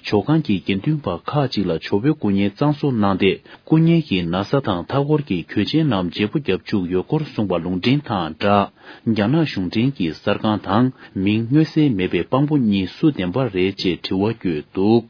ཇོ་ཁང་གི་དགེ་འདུན་པ་ཁག་ཅིག་ལ་ཇོ་བོའི་སྐུ་བརྙན་གཙང་བཟོ་གནང་སྟེ། སྐུ་བརྙན་གྱི་ན་བཟའ་དང་མཐའ་འཁོར་གྱི་གོས་ཆེན་རྣམས་བརྗེ་པོ་བརྒྱབ་བཅུག་ཡོད་སྐོར་གསུངས་པ་ལུང་འདྲེན་དང་སྦྲགས། རྒྱ་ནག་གཞུང་འབྲེལ་གྱི་གསར་ཁང་དང་། མིང་མངོན་གསལ་མེད་པའི་དཔང་པོ་གཉིས་སུ་བདེན་པ་རེད་ཅེས་དྲི་བ་བཀོད་འདུག་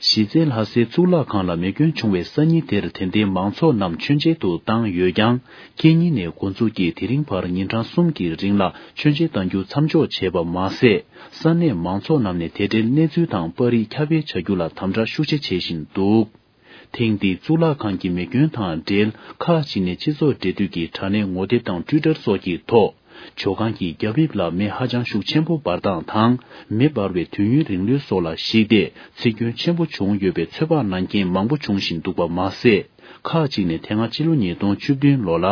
གཞི་རྩའི་ལྷ་སའི་གཙུག་ལག་ཁང་ལ་མེ་སྐྱོན་བྱུང་བའི་སང་ཉིན་དེར་དད་ལྡན་མང་ཚོགས་རྣམས་མཆོད་མཇལ་དུ་བཏང་ཡོད་ཀྱང་། ཁེ་ཉིན་ནས་འགོ་འཛུགས་ཀྱིས་དེ་རིང་བར་ཉིན་གྲངས་གསུམ་གྱི་རིང་ལ་མཆོད་མཇལ་གཏང་རྒྱུ་མཚམས་འཇོག་བྱས་པ་མ་ཟད། ས་གནས་མང་ཚོགས་རྣམས་ནས་དེ་འབྲེལ་གནས་ཚུལ་དང་པར་རིས་ཁྱབ་སྤེལ་བྱ་རྒྱུ་ལ་དམ་དྲག་ཤུགས་ཆེ་བྱེད་བཞིན་འདུག་ཐེངས་འདིའི་གཙུག་ལག་ཁང་གི་མེ་སྐྱོན་དང་འབྲེལ། ཁག་ཅིག་ནས་སྤྱི་ཚོགས་འབྲེལ་མཐུད་ཀྱི་དྲ་གནས་ངོ་དེབ་དང་Twitter སོགས་ཀྱི་ཐོག་ཇོ་ཁང་གི་རྒྱ་ཕིབས་ལ་མེ་ཧ་ཅང་ཤུགས་ཆེན་པོ་འབར་སྟངས་དང་། མེ་འབར་བའི་དུས་ཡུན་རིང་ལོས་སོགས་ལ་གཞིགས་ཏེ། འཚིག་སྐྱོན་ཆེན་པོ་བྱུང་ཡོད་པའི་ཚོད་དཔག་གནང་མཁན་མང་པོ་འབྱུང་བཞིན་འདུག་པ་མ་ཟད། ཁག་ཅིག་ནས་དེ་སྔ་ཕྱི་ལོ་ཉིས་སྟོང་བཅུ་བདུན་ལོ་ལ།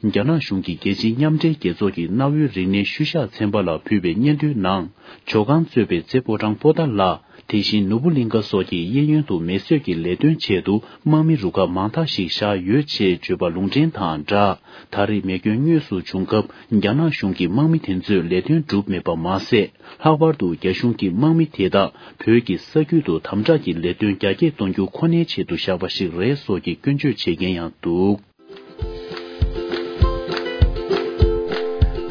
རྒྱ་ནག་གཞུང་གིས་རྒྱལ་སྤྱིའི་མཉམ་འབྲེལ་རྒྱལ་ཚོགས་ཀྱི་གནའ་བོའི་རིག་གནས་ཤུལ་བཞག་ཚན་པ་ལ་ཕུལ་བའི་སྙན་ཐོའི་ནང་། ཇོ་ཁང་གཙོས་པའི་རྩེ་ཕོ་བྲང་པོ་ཏཱ་ལ། དེ་བཞིན་ནོར་བུ་གླིང་ཁ་སོགས་ཀྱི་གཡས་གཡོན་དུ་མེ་གསོད་ཀྱི་ལས་དོན་ཆེད་དུ་དམག་མི་རུ་ཁག་མང་དག་ཞིག་བཞག་ཡོད་ཅེས་བརྗོད་པ་ལུང་འདྲེན་དང་སྦྲགས། ད་རེས་མེ་སྐྱོན་དངོས་སུ་བྱུང་སྐབས་རྒྱ་ནག་གཞུང་གི་དམག་མི་དེ་ཚོས་ལས་དོན་བསྒྲུབས་མེད་པ་མ་ཟད། ལྷག་པར་དུ་རྒྱ་གཞུང་གི་དམག་མི་དེ་དག་བོད་ཀྱི་ས་རྒྱུད་དུ་དམ་དྲག་གི་ལས་དོན་རྒྱ་སྐྱེད་གཏོང་རྒྱུ་ཁོ་ནའི་ཆེད་དུ་བཞག་པ་ཞིག་རེད་སོགས་ཀྱི་སྐྱོན་བརྗོད་བྱེད་མཁན་ཡང་འདུག་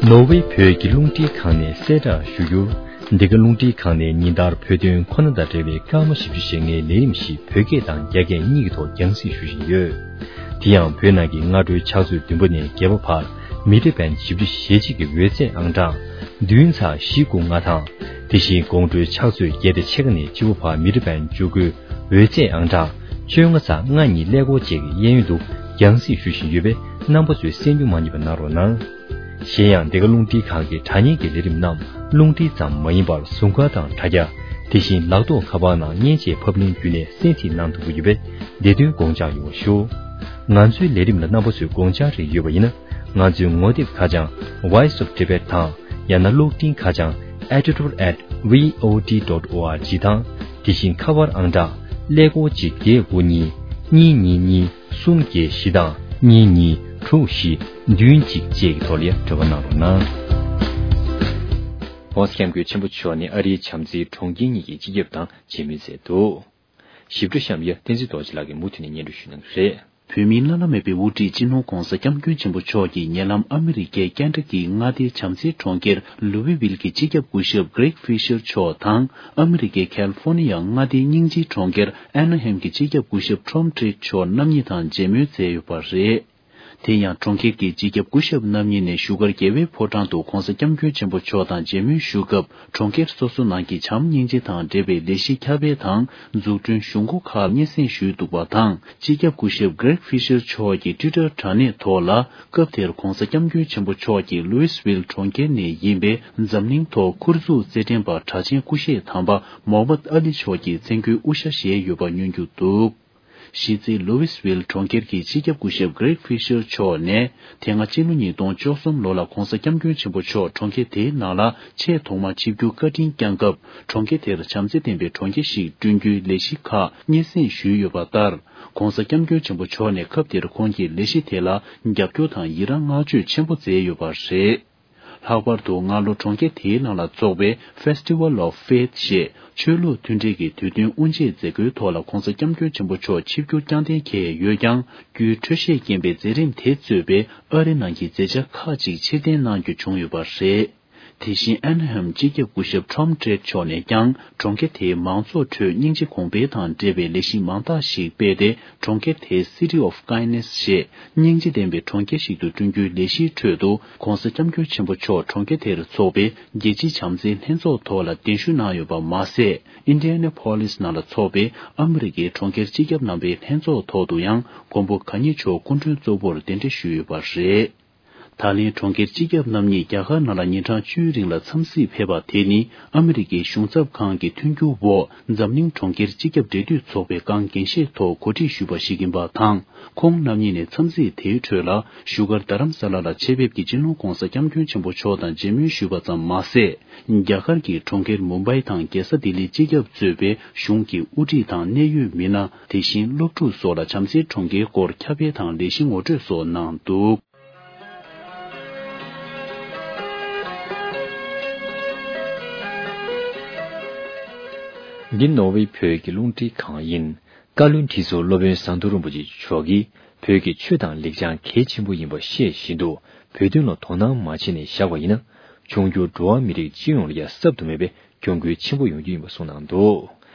ནོར་ཝེ་བོད་ཀྱི་རླུང་འཕྲིན་ཁང་ནས་གསལ་བསྒྲགས་ཞུ་རྒྱུར། འདི་ག་རླུང་འཕྲིན་ཁང་ནས་ཉིན་ལྟར་བོད་དོན་ཁོ་ན་དང་འབྲེལ་བའི་སྐར་མ་བཞི་བཅུ་ཞེ་ལྔའི་ལས་རིམ་ཞིག་བོད་སྐད་དང་རྒྱ་སྐད་གཉིས་ཀྱི་ཐོག་རྒྱང་སྲིང་ཞུ་བཞིན་ཡོད། དེ་ཡང་བོད་ནང་གི་སྔ་དྲོའི་ཕྱག་ཚོད་བདུན་པ་ནས་བརྒྱད་པ་བར་མི་ཊར་བན་བཞི་བཅུ་ཞེ་གཅིག་གི་འོད་ཟེར་ཨང་གྲངས་བདུན་ཚ་བཞི་དགུ་ལྔ་དང་། དེ་བཞིན་དགོང་དྲོའི་ཕྱག་ཚོད་བརྒྱད་དང་ཕྱེད་ཀ་ནས་བཅུ་པ་བར་མི་ཊར་བན་བཅུ་དགུའི་འོད་ཟེར་ཨང་གྲངས་བཅོ་ལྔ་ཚ་ལྔ་གཉིས་ཀླད་ཀོར་བཅས་ཀྱི་གཡས་གཡོན་དུ་རྒྱང་སྲིང་ཞུ་བཞིན་ཡོད་པས། རྣམ་པ་ཚོས་གསན་རྒྱུ་མ་བསྙེལ་བ་གནང་རོགས་གནང་། གཞན་ཡང་འདི་ག་རླུང་འཕྲིན་ཁང་གི་དྲ་བརྙན་གྱི་ལས་རིམ་རྣམས་རླུང་འཕྲིན་ཙམ་མ་ཡིན་པར་ཟུར་མཁར་དང་དྲ་རྒྱ། དེ་བཞིན་ལག་ཐོགས་ཁ་པར་ནང་མཉེན་ཆས་ཕབ་ལེན་བརྒྱུད་ནས་གསན་ཐིག་གནང་ཐུབ་ཀྱི་ཡོད་པས། འདི་དོན་དགོངས་འཇགས་ཡོང་བ་ཞུ། ང་ཚོའི་ལས་རིམ་ལ་རྣམ་པ་ཚོས་དགོངས་འཇགས་རེ་ཡོད་པ་ཡིན་ན། ང་ཚོའི་ངོ་དེབ་ཁ་བྱང་Voice of Tibet དང་། ཡང་ན་གློག་འཕྲིན་ཁ་བྱང་editor at V O T dot O R G དང་། དེ་བཞིན་ཁ་པར་ཨང་གྲངས་ཀླད་ཀོར་གཅིག་བརྒྱད་དགུ་གཉིས་གཉིས་གཉིས་གཉིས། གསུམ་བརྒྱད་བཞི་དང་གཉིས་གཉིས་དྲུག་བཞི་བདུན་གཅིག་བཅས་ཀྱི་ཐོག་ལ་འབྲེལ་བ་གནང་རོགས་གནང་།༸གོང་ས་༸སྐྱབས་མགོན་ཆེན་པོ་མཆོག་ནས་ཨ་རིའི་བྱམས་བརྩེའི་གྲོང་ཁྱེར་གཉིས་ཀྱི་སྤྱི་ཁྱབ་དང་མཇལ་མོལ་མཛད་འདུག་ཞིབ་ཕྲ་གཤམ་ཡ་བསྟན་འཛིན་རྡོ་རྗེ་ལགས་ཀྱིས་མུ་མཐུད་ནས་སྙན་སྒྲོན་ཞུ་གནང་གི་རེད། བོད་མིའི་བླ་ན་མེད་པའི་དབུ་ཁྲིད་སྤྱི་ནོར་༸གོང་ས་༸སྐྱབས་མགོན་ཆེན་པོ་མཆོག་གིས་ཉེ་ལམ་ཨ་མི་རི་ཀའི་ཀན་ཊ་ཀིའི་མངའ་སྡེའི་བྱམས་བརྩེའི་གྲོང་ཁྱེར་ལུའུ་ཝི་ཝིལ་གྱི་སྤྱི་ཁྱབ་སྐུ་ཞབས་Greg Fisher མཆོག་དང་། ཨ་མི་རི་ཀའི་ཁལ་ཧྥོ་ནི་ཡ་མངའ་སྡེའི་སྙིང་རྗེའི་གྲོང་ཁྱེར་ཨ་ན་ཧེམ་གྱི་སྤྱི་ཁྱབ་སྐུ་ཞབས་Tom Tritt མཆོག་རྣམ་གཉིས་དང་མཇལ་མོལ་མཛད་ཡོད་པ་རེད། དེ་ཡང་གྲོང་ཁྱེར་གྱི་སྤྱི་ཁྱབ་སྐུ་ཞབས་རྣམ་གཉིས་ནས་བཞུགས་སྒར་རྒྱལ་བའི་ཕོ་བྲང་དུ་༸གོང་ས་༸སྐྱབས་མགོན་ཆེན་པོ་མཆོག་དང་མཇལ་མོལ་ཞུ་སྐབས། གྲོང་ཁྱེར་སོ་སོ་ནང་གི་བྱམས་སྙིང་རྗེ་དང་འབྲེལ་བའི་ལས་གཞི་ཁྱབ་སྤེལ་དང་འཛུགས་སྐྲུན་གཞུང་སྒོ་ཁག་སྙན་སེང་ཞུས་འདུག་པ་དང་། སྤྱི་ཁྱབ་སྐུ་ཞབས་Greg Fisher མཆོག་གི་ཊུའི་ཊར་དྲ་གནས་ཐོག་ལ། སྐབས་དེར་༸གོང་ས་༸སྐྱབས་མགོན་ཆེན་པོ་མཆོག་གིས་ལུའི་སི་ཝིལ་གྲོང་ཁྱེར་ནས་ཡིན་པའི་འཛམ་གླིང་ཐོག་ཁུར་འཛུགས་རྩེད་འགྲན་པ་གྲགས་ཅན་སྐུ་གཤེགས་དམ་པ་མོ་ཧམ་མད་ཨ་ལི་མཆོག་གི་མཚན་སྐུའི་དབུ་ཞྭ་བཞེས་ཡོད་པ་ཉོན་རྒྱུ་འདུག་གཞི་རྩའི་ལུའི་སི་ཝིལ་གྲོང་ཁྱེར་གྱི་སྤྱི་ཁྱབ་སྐུ་ཞབས་Greg Fisher མཆོག་ནས། དེ་སྔ་ཕྱི་ལོ་ཉིས་སྟོང་བཅུ་གསུམ་ལོ་ལ་༸གོང་ས་༸སྐྱབས་མགོན་ཆེན་པོ་མཆོག་གྲོང་ཁྱེར་དེའི་ནང་ལ་ཆེས་ཐོག་མར་ཆིབས་བསྒྱུར་བཀའ་དྲིན་བསྐྱངས་སྐབས། གྲོང་ཁྱེར་དེར་བྱམས་བརྩེ་ལྡན་པའི་གྲོང་ཁྱེར་ཞིག་བསྐྲུན་རྒྱུའི་ལས་གཞི་ཁག་སྙན་སེང་ཞུས་ཡོད་པ་ལྟར། ༸གོང་ས་༸སྐྱབས་མགོན་ཆེན་པོ་མཆོག་ནས་སྐབས་དེར་ཁོང་གིས་ལས་གཞི་དེ་ལ་རྒྱབ་སྐྱོར་དང་ཡི་རང་བསྔགས་བརྗོད་ཆེན་པོ་མཛད་ཡོད་པ་རེད། ལྷག་པར་དུ་སྔ་ལོ་གྲོང་ཁྱེར་དེའི་ནང་ལ་འཚོགས་པའི་Festival of Faith ཞེས་ཆོས་ལུགས་མཐུན་སྒྲིལ་གྱི་དུས་སྟོན་དབུ་འབྱེད་མཛད་སྒོའི་ཐོག་ལ་༧གོང་ས་༧སྐྱབས་མགོན་ཆེན་པོ་མཆོག་ཆིབས་བསྒྱུར་བསྐྱངས་གཏན་འཁེལ་ཡོད་ཀྱང་། རྒྱུའི་འཕྲོད་བཞེས་རྐྱེན་པས་མཛད་རིམ་དེ་གཙོས་པའི་ཨ་རི་ནང་གི་མཛད་འཆར་ཁག་ཅིག་ཕྱིར་འཐེན་གནང་རྒྱུ་བྱུང་ཡོད་པ་རེད། དེ་བཞིན་ཨན་ཧམ་སྤྱི་ཁྱབ་སྐུ་ཞབས་Tom Drake མཆོག་ནས་ཀྱང་གྲོང་ཁྱེར་དེའི་མང་ཚོགས་ཁྲོད་སྙིང་རྗེ་གོང་འཕེལ་དང་འབྲེལ་བའི་ལས་གཞི་མང་དག་ཞིག་སྤེལ་ཏེ། གྲོང་ཁྱེར་དེའི་City of Kindness ཞེས་སྙིང་རྗེ་ལྡན་པའི་གྲོང་ཁྱེར་ཞིག་ཏུ་བསྐྲུན་རྒྱུའི་ལས་གཞིའི་ཁྲོད་དུ་༧གོང་ས་༧སྐྱབས་མགོན་ཆེན་པོ་མཆོག་གྲོང་ཁྱེར་དེར་འཚོགས་པའི་རྒྱལ་སྤྱིའི་བྱམས་བརྩེའི་ལྷན་ཚོགས་ཐོག་ལ་གདན་ཞུ་གནང་ཡོད་པ་མ་ཟད། Indianapolis ནང་ལ་འཚོགས་པའི་ཨ་མི་རི་ཀའི་གྲོང་ཁྱེར་སྤྱི་ཁྱབ་རྣམ་པའི་ལྷན་ཚོགས་ཐོག་ཏུ་ཡང་མགོན་པོ་གང་ཉིད་མཆོག་སྐུ་མགྲོན་གཙོ་བོར་གདན་འདྲེན་ཞུས་ཡོད་པ་རེད། ད་ལན་གྲོང་ཁྱེར་སྤྱི་ཁྱབ་རྣམ་གཉིས་རྒྱ་གར་ནང་ལ་ཉིན་གྲངས་བཅུའི་རིང་ལ་འཚམས་གཟིགས་ཕེབས་པ་དེ་ནི་ཨ་མི་རི་ཀའི་གཞུང་ཚབ་ཁང་གི་མཐུན་འགྱུར་འོག་འཛམ་གླིང་གྲོང་ཁྱེར་སྤྱི་ཁྱབ་འབྲེལ་མཐུད་ཚོགས་པའི་སྒང་འགན་བཞེས་ཐོག་གོ་སྒྲིག་ཞུས་པ་ཞིག་ཡིན་པ་དང་། ཁོང་རྣམ་གཉིས་ནས་འཚམས་གཟིགས་དེའི་ཁྲོད་ལ་བཞུགས་སྒར་རྡ་རམ་ས་ལ་ལ་ཆེད་ཕེབས་ཀྱིས་སྤྱི་ནོར་༧གོང་ས་༧སྐྱབས་མགོན་ཆེན་པོ་མཆོག་དང་མཇལ་མོལ་ཞུས་པ་ཙམ་མ་ཟད། རྒྱ་གར་གྱི་གྲོང་ཁྱེར་མུམ་བྷའི་དང་རྒྱལ་ས་ལྡི་ལི་སྤྱི་ཁྱབ་གཙོས་པའི་གཞུང་གི་དབུ་ཁྲིད་དང་གནད་ཡོད་མི་སྣ། དེ་བཞིན་སློབ་ཕྲུག་སོགས་ལ་བྱམས་བརྩེའི་གྲོང་ཁྱེར་སྐོར་ཁྱབ་སྤེལ་དང་ལས་གཞི་ངོ་སྤྲོད་སོགས་གནང་འདུག། འདི་ནོར་ཝེ་བོད་ཀྱི་རླུང་འཕྲིན་ཁང་ཡིན། བཀའ་བློན་ཁྲི་ཟུར་སློབ་དཔོན་ཟམ་གདོང་རིན་པོ་ཆེ་མཆོག་གིས་བོད་ཀྱི་ཆོས་དང་ལེགས་བྱང་གལ་ཆེན་པོ་ཡིན་པ་ཤེས་བཞིན་དུ་བོད་དོན་ལ་དོ་སྣང་མ་བྱས་ནས་བཞག་པ་ཡིན་ན། འབྱུང་འགྱུར་འགྲོ་བ་མི་རིགས་སྤྱི་ཡོངས་ལ་ཡང་གཟབ་ཏུ་མེད་པའི་གྱོང་གུན་ཆེན་པོ་ཡོང་རྒྱུ་ཡིན་པ་གསུངས་གནང་འདུག།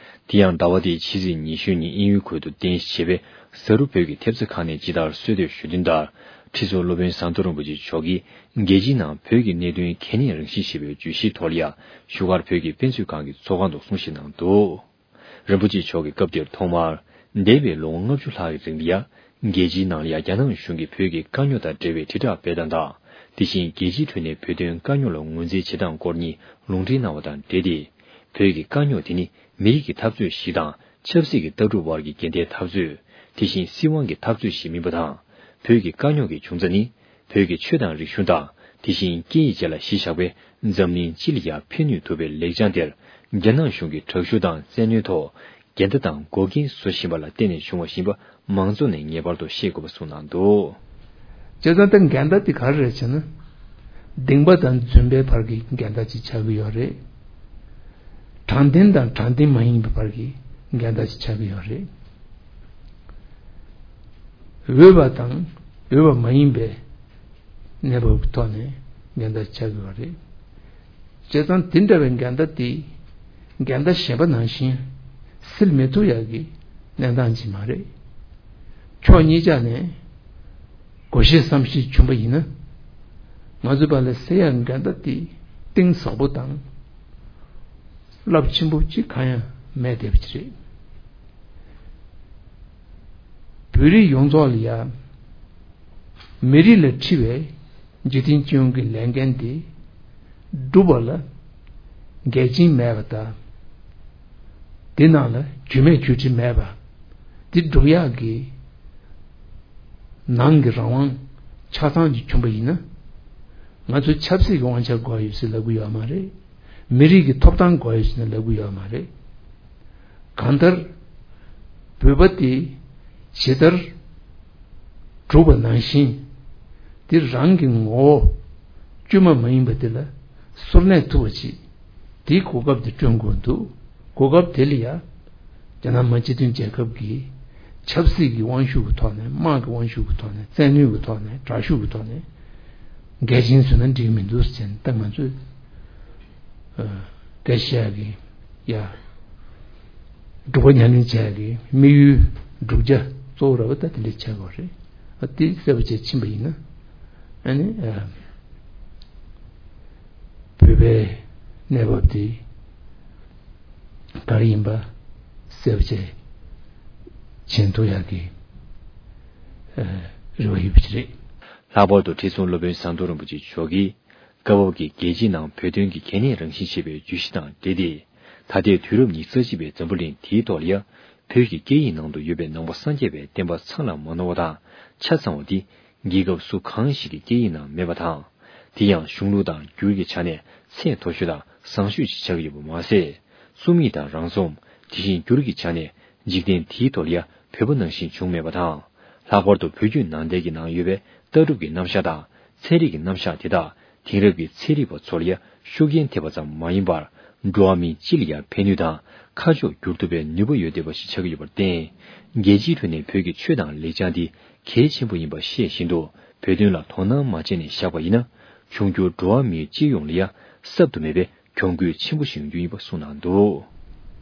དེ་ཡང་ཟླ་བ་འདིའི་ཕྱི་ཚེས་ཉི་ཤུ་ཉིན་དབྱིན་ཡུལ་ཁུལ་དུ་རྟེན་གཞི་བྱས་པའི་གཟའ་རུ་བོད་ཀྱི་ཐེབས་རྩ་ཁང་ནས་ཇི་ལྟར་གསོལ་འདེབས་ཞུ་དོན་ལྟར། ཁྲི་ཟུར་སློབ་དཔོན་ཟམ་གདོང་རིན་པོ་ཆེ་མཆོག་གིས་རྒྱལ་སྤྱིའི་ནང་བོད་ཀྱི་གནད་དོན་གལ་གནད་རང་བཞིན་ཞེས་པའི་བརྗོད་གཞིའི་ཐོག་ལ་ཡང་བཞུགས་སྒར་བོད་ཀྱི་དཔེ་མཛོད་ཁང་གི་ཚོགས་ཁང་དུ་གསུང་བཤད་གནང་འདུག། རིན་པོ་ཆེ་མཆོག་གིས་སྐབས་དེར་ཐོག་མར། འདས་པའི་ལོ་ངོ་ལྔ་བཅུ་ལྷག་གི་རིང་ལ་ཡང་རྒྱལ་སྤྱིའི་ནང་ལ་ཡང་རྒྱ་ནག་གཞུང་གིས་བོད་ཀྱི་དཀའ་རྙོག་དང་འབྲེལ་བའི་དྲིལ་བསྒྲགས་སྤེལ་སྟངས་དང་། དེ་བཞིན་རྒྱལ་སྤྱིའི་ཁྲོད་ནས་བོད་དོན་དཀའ་རྙོག་ལ་ངོས་འཛིན་བྱེད་སྟངས་སྐོར་གཉིས་ལུང་འདྲེན་གནང་བ་དང་འབྲེལ་ཏེ། བོད་ཀྱི་དཀའ་རྙོག་དེ་ནི་མི་རིགས་ཀྱི་འཐབ་རྩོད་ཞིག་དང་། ཆབ་སྲིད་ཀྱི་ལྟ་གྲུབ་བར་གྱི་འགལ་ཟླའི་འཐབ་རྩོད། དེ་བཞིན་སྲིད་དབང་གི་འཐབ་རྩོད་ཞིག་མིན་པ་དང་། བོད་ཀྱི་དཀའ་རྙོག་གི་འབྱུང་རྩ་ནི། བོད་ཀྱི་ཆོས་དང་རིག་གཞུང་དང་། དེ་བཞིན་སྐད་ཡིག་བཅས་ལ་གཞི་བཞག་པའི་འཛམ་གླིང་སྤྱི་ལ་ཡང་ཕན་ནུས་ཐུབ་པའི་ལེགས་བྱང་དེར། རྒྱ་ནག་གཞུང་གིས་དྲག་ཤུགས་དང་བཙན་གནོན་ཐོག་འགལ་ཟླ་དང་འགོག་རྐྱེན་བཟོ་བཞིན་པ་ལ་བརྟེན་ནས་བྱུང་བ་ཡིན་པ་མང་ཚོགས་ནས་ངེས་པར་དུ་ཤེས་དགོས་པ་གསུངས་གནང་འདུག། བྱས་ཙང་ད་འགལ་ཟླ་དེ་ག་རེ་རེད་ཟེར་ན། གདིང་པ་དང་རྫུན་པའི་བར་གྱི་འགལ་ཟླ་ཅིག་ཆགས་ཀྱི་ཡོད་རེད། དྲང་བདེན་དང་དྲང་བདེན་མ་ཡིན་པའི་བར་གྱི་འགལ་ཟླ་ཅིག་ཆགས་ཀྱི་ཡོད་རེད། འོས་པ་དང་འོས་པ་མ་ཡིན་པའི་གནས་བབ་ཀྱི་ཐོག་ནས་འགལ་ཟླ་ཆགས་ཀྱི་ཡོད་རེད། བྱས་ཙང་དེ་འདྲ་བའི་འགལ་ཟླ་དེ་འགལ་ཟླ་གཞན་པ་ནང་བཞིན་སེལ་མི་ཐུབ་ཡག་གི་གནས་སྟངས་ཅིག་མ་རེད། ཕྱོགས་གཉིས་ཆ་ནས་དགོངས་བཞེས་བསམ་བཞེས་བྱུང་པ་ཡིན་ན། ང་ཚོའི་བར་ལ་སེལ་ཡག་འགལ་ཟླ་དེ་གཏིང་ཟབ་པོ་དང་རླབས་ཆེན་པོ་གཅིག་གང་ཡང་མེད་བསྡད་པ་ཅིག་རེད། བོད་རིགས་ཡོངས་རྫོགས་ལ་ཡང་མི་རིགས་ལ་འཁྲི་བའི་འཇིག་རྟེན་སྤྱི་ཡོངས་ཀྱི་ལས་འགན་དེ་སྒྲུབ་པ་ལ་འགལ་རྐྱེན་མེད་པ་དང་། དེ་ནང་ལ་རྒྱུས་མེད་རྒྱུ་འབྲས་མེད་པ་དེ་སྒྲུབ་ཡག་གི་ནང་གི་རང་དབང་ཆ་ཚང་ཅིག་བྱུང་པ་ཡིན་ན། ང་ཚོ་ཆབ་སྲིད་ཀྱི་དབང་ཆ་དགོས་ཡོད་ཟེར་ལབ་ཀྱི་ཡོད་མ་རེད། མི་རིགས་ཀྱི་ཐོབ་ཐང་དགོས་ཡོད་ཟེར་ནས་ལབ་ཀྱི་ཡོད་མ་རེད། གང་ལྟར། བོད་པ་དེ་ཇི་ལྟར་གྲུབ་པ་ནང་བཞིན། དེ་རང་གི་ངོ་བོ་བཅོས་མ་མ་ཡིན་པ་དེ་ལ་གསོར་གནས་ཐུབ་པ་ཅིག་དེའི་གོ་སྐབས་དེ་བསྐྲུན་དགོས་འདུག། གོ་སྐབས་དེ་ལ་ཡང་། རྒྱ་ནག་མི་དམངས་སྤྱི་མཐུན་རྒྱལ་ཁབ་ཀྱི་ཆབ་སྲིད་ཀྱི་དབང་ཤུགས་ཀྱི་ཐོག་ནས། དམག་གི་དབང་ཤུགས་ཀྱི་ཐོག་ནས། བཙན་གནོན་གྱི་ཐོག་ནས། དྲག་ཤུགས་ཀྱི་ཐོག་ནས་འགལ་རྐྱེན་བཟོས་ན་འགྲིག་མི་འདུག་ཟེར་ནས། ད་ང་ཚོས་ཨ་སྐད་ཆ་བཤད་ཡག་གི་ཡ། སྒྲུབ་པ་ཉམས་ལེན་བྱེད་ཡག་གི་དམིགས་ཡུལ་བསྒྲུབ་བྱ་གཙོ་བོ་ར་བ་ད་དེ་འདྲ་ཆགས་དགོས་རེད། ཨ་དེ་གསལ་པོ་བྱས་ཕྱིན་པ་ཡིན་ན། ཨ་ནི་ཨ་བོད་པའི་གནས་བབ་དེ་ག་རེ་ཡིན་པ་གསལ་པོ་བྱས་མཇལ་ཐུབ་ཡག་གི་ཨ་རེ་བ་ཡོད་པ་ཅིག་རེད། ལྷག་པར་དུ་ཁྲི་སྲོང་སློབ་དཔོན་ཟམ་གདོང་རིན་པོ་ཆེ་མཆོག་གིས། སྐབས་བབ་ཀྱི་རྒྱལ་སྤྱིའི་ནང་བོད་དོན་གྱི་གལ་གནད་རང་བཞིན་ཞེས་པའི་བརྗོད་གཞི་དང་འབྲེལ་ཏེ། ད་ལྟའི་དུས་རབས་ཉི་ཤུ་རྩ་གཅིག་པའི་འཛམ་བུ་གླིང་འདིའི་ཐོག་ལ་ཡང་། བོད་ཀྱི་སྐད་ཡིག་ནང་དུ་ཡོད་པའི་ནང་པ་སངས་རྒྱས་པའི་བསྟན་པ་ཚང་ལ་མ་ནོར་བ་དང་ཆ་ཚང་བ་འདི། རྒྱལ་ཁབ་སུ་གང་ཞིག་གི་སྐད་ཡིག་ནང་མེད་པ་དང་། དེ་ཡང་གཞུང་ལུགས་དང་འགྱུར་གྱི་ཆ་ནས་ཚད་མཐོ་ཤོས་དང་བཟང་ཤོས་ཤིག་ཆགས་ཀྱི་ཡོད་པ་མ་ཟད། རྩོམ་ཡིག་དང་རང་རྩོམ། དེ་བཞིན་འགྱུར་གྱི་ཆ་ནས་འཇིག་རྟེན་འདིའི་ཐོག་ལ་ཡང་བོད་པ་ནང་བཞིན་བྱུང་མེད་པ་དང་། ལྷག་པར་དུ་བོད་བརྒྱུད་ནང་བསྟན་གྱི་ནང་ཡོད་པའི་ལྟ་གྲུབ་ཀྱི་རྣམ་གཞག་དང་། ཚན་རིག་གི་རྣམ་གཞག་དེ་དག་དེང་རབས་ཀྱི་ཚན་རིག་པ་ཚོ་ལ་ཡང་ཤུགས་རྐྱེན་ཐེབས་པ་ཙམ་མ་ཡིན་པར། འགྲོ་བ་མི་སྤྱི་ལ་ཡང་ཕན་ནུས་དང་ཁ་ཕྱོགས་བསྒྱུར་ཐུབ་པའི་ནུས་པ་ཡོད་བསྡད་པ་ཞིག་ཆགས་ཀྱི་ཡོད་པར་བརྟེན། རྒྱལ་སྤྱིའི་ཁྲོད་ནས་བོད་ཀྱི་ཆོས་དང་ལེགས་བྱང་འདི་གལ་ཆེན་པོ་ཡིན་པ་ཤེས་བཞིན་དུ། བོད་དོན་ལ་དོ་སྣང་མ་བྱས་ནས་བཞག་པ་ཡིན་ན། འབྱུང་འགྱུར་འགྲོ་བ་མིའི་སྤྱི་ཡོངས་ལ་ཡང་གསབ་ཏུ་མེད་པའི་གྱོང་གུད་ཆེན་པོ་ཞིག་ཡོང་རྒྱུ་ཡིན་པ་གསུངས་གནང་འདུག།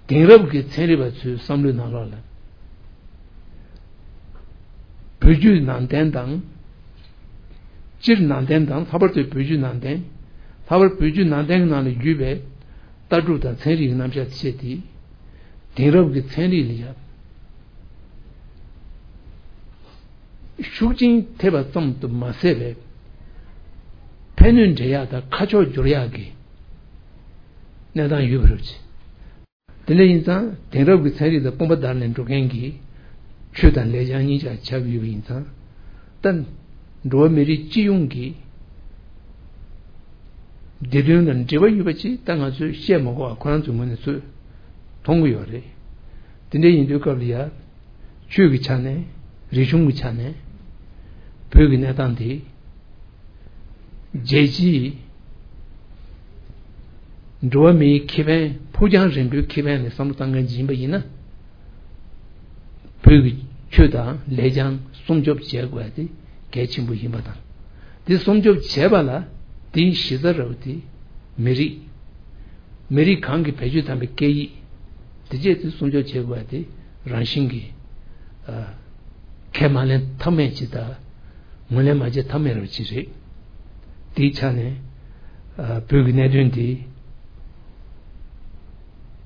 དེང་རབས་ཀྱི་ཚན་རིག་པ་ཚོའི་བསམ་བློའི་ནང་ལོགས་ལ། བོད་བརྒྱུད་ནང་བསྟན་དང་། སྤྱིར་ནང་བསྟན་དང་ལྷག་པར་དུ་བོད་བརྒྱུད་ནང་བསྟན། ལྷག་པར་བོད་བརྒྱུད་ནང་བསྟན་གྱི་ནང་ལ་བརྒྱུད་པའི་ལྟ་གྲུབ་དང་ཚན་རིག་གི་རྣམ་གཞག་བཤད་དེ། དེང་རབས་ཀྱི་ཚན་རིག་ལ་ཡང་ཤུགས་རྐྱེན་ཐེབས་པ་ཙམ་དུ་མ་ཟད་པའི་ཕན་ནུས་འདྲེན་ཡག་དང་ཁ་ཕྱོགས་བསྒྱུར་ཡག་གི་གནས་སྟངས་ཡོད་པ་རེད། དེ་འདྲ་ཡིན་ཙང་དེང་རབས་ཀྱི་ཚན་རིག་དང་དཔུང་པ་བརྡར་ནས་འགྲོ་མཁན་གྱི་ཆོས་དང་ལེགས་བྱང་གཉིས་ཆར་ཆགས་ཀྱི་ཡོད་པ་ཡིན་ཙང་། ད་འགྲོ་བ་མི་རིགས་སྤྱི་ཡོངས་ཀྱི་བདེ་དོན་ལ་འབྲེལ་བ་ཡོད་པ་ཅིག་ད་ང་ཚོས་བཤད་མ་དགོས་པ་ཁོ་རང་ཚོའི་ངོས་ནས་ཚོས་མཐོང་གི་ཡོད་རེད། དེ་འདྲ་ཡིན་དུས་སྐབས་ལ་ཡ། ཆོས་ཀྱི་ཆ་ནས། རིག་གཞུང་གི་ཆ་ནས། བོད་ཀྱི་གནས་སྟངས་དེ། རྒྱལ་སྤྱིའི་འགྲོ་བ་མིའི་ཁེ་ཕན། ཕུགས་རྒྱང་རིང་པོའི་ཁེ་ཕན་ལ་བསམ་བློ་བཏང་མཁན་ཅིག་ཡིན་པ་ཡིན་ན། བོད་ཀྱི་ཆོས་དང་ལེགས་བྱང་སྲུང་སྐྱོབ་བྱེད་དགོས་ཡ་དེ་གལ་ཆེན་པོ་ཡིན་པ་དང་། དེ་སྲུང་སྐྱོབ་བྱེད་པ་ལ་དེའི་གཞི་རྩ་ར་བ་དེ་མི་རིགས། མི་རིགས་གང་གི་བེད་སྤྱོད་དམ་པའི་སྐད་ཡིག་དེ་བཅས་དེ་སྲུང་སྐྱོབ་བྱེད་དགོས་པ་དེ་རང་བཞིན་གྱིས་ཨ། ཁས་མ་ལེན་ཐབས་མེད་ཅིག་དང་། ངོས་ལེན་མ་བྱེད་ཐབས་མེད་ར་བ་ཅིག་རེད། དེའི་ཆ་ནས་ཨ། བོད་ཀྱི་གནད་དོན་དེ་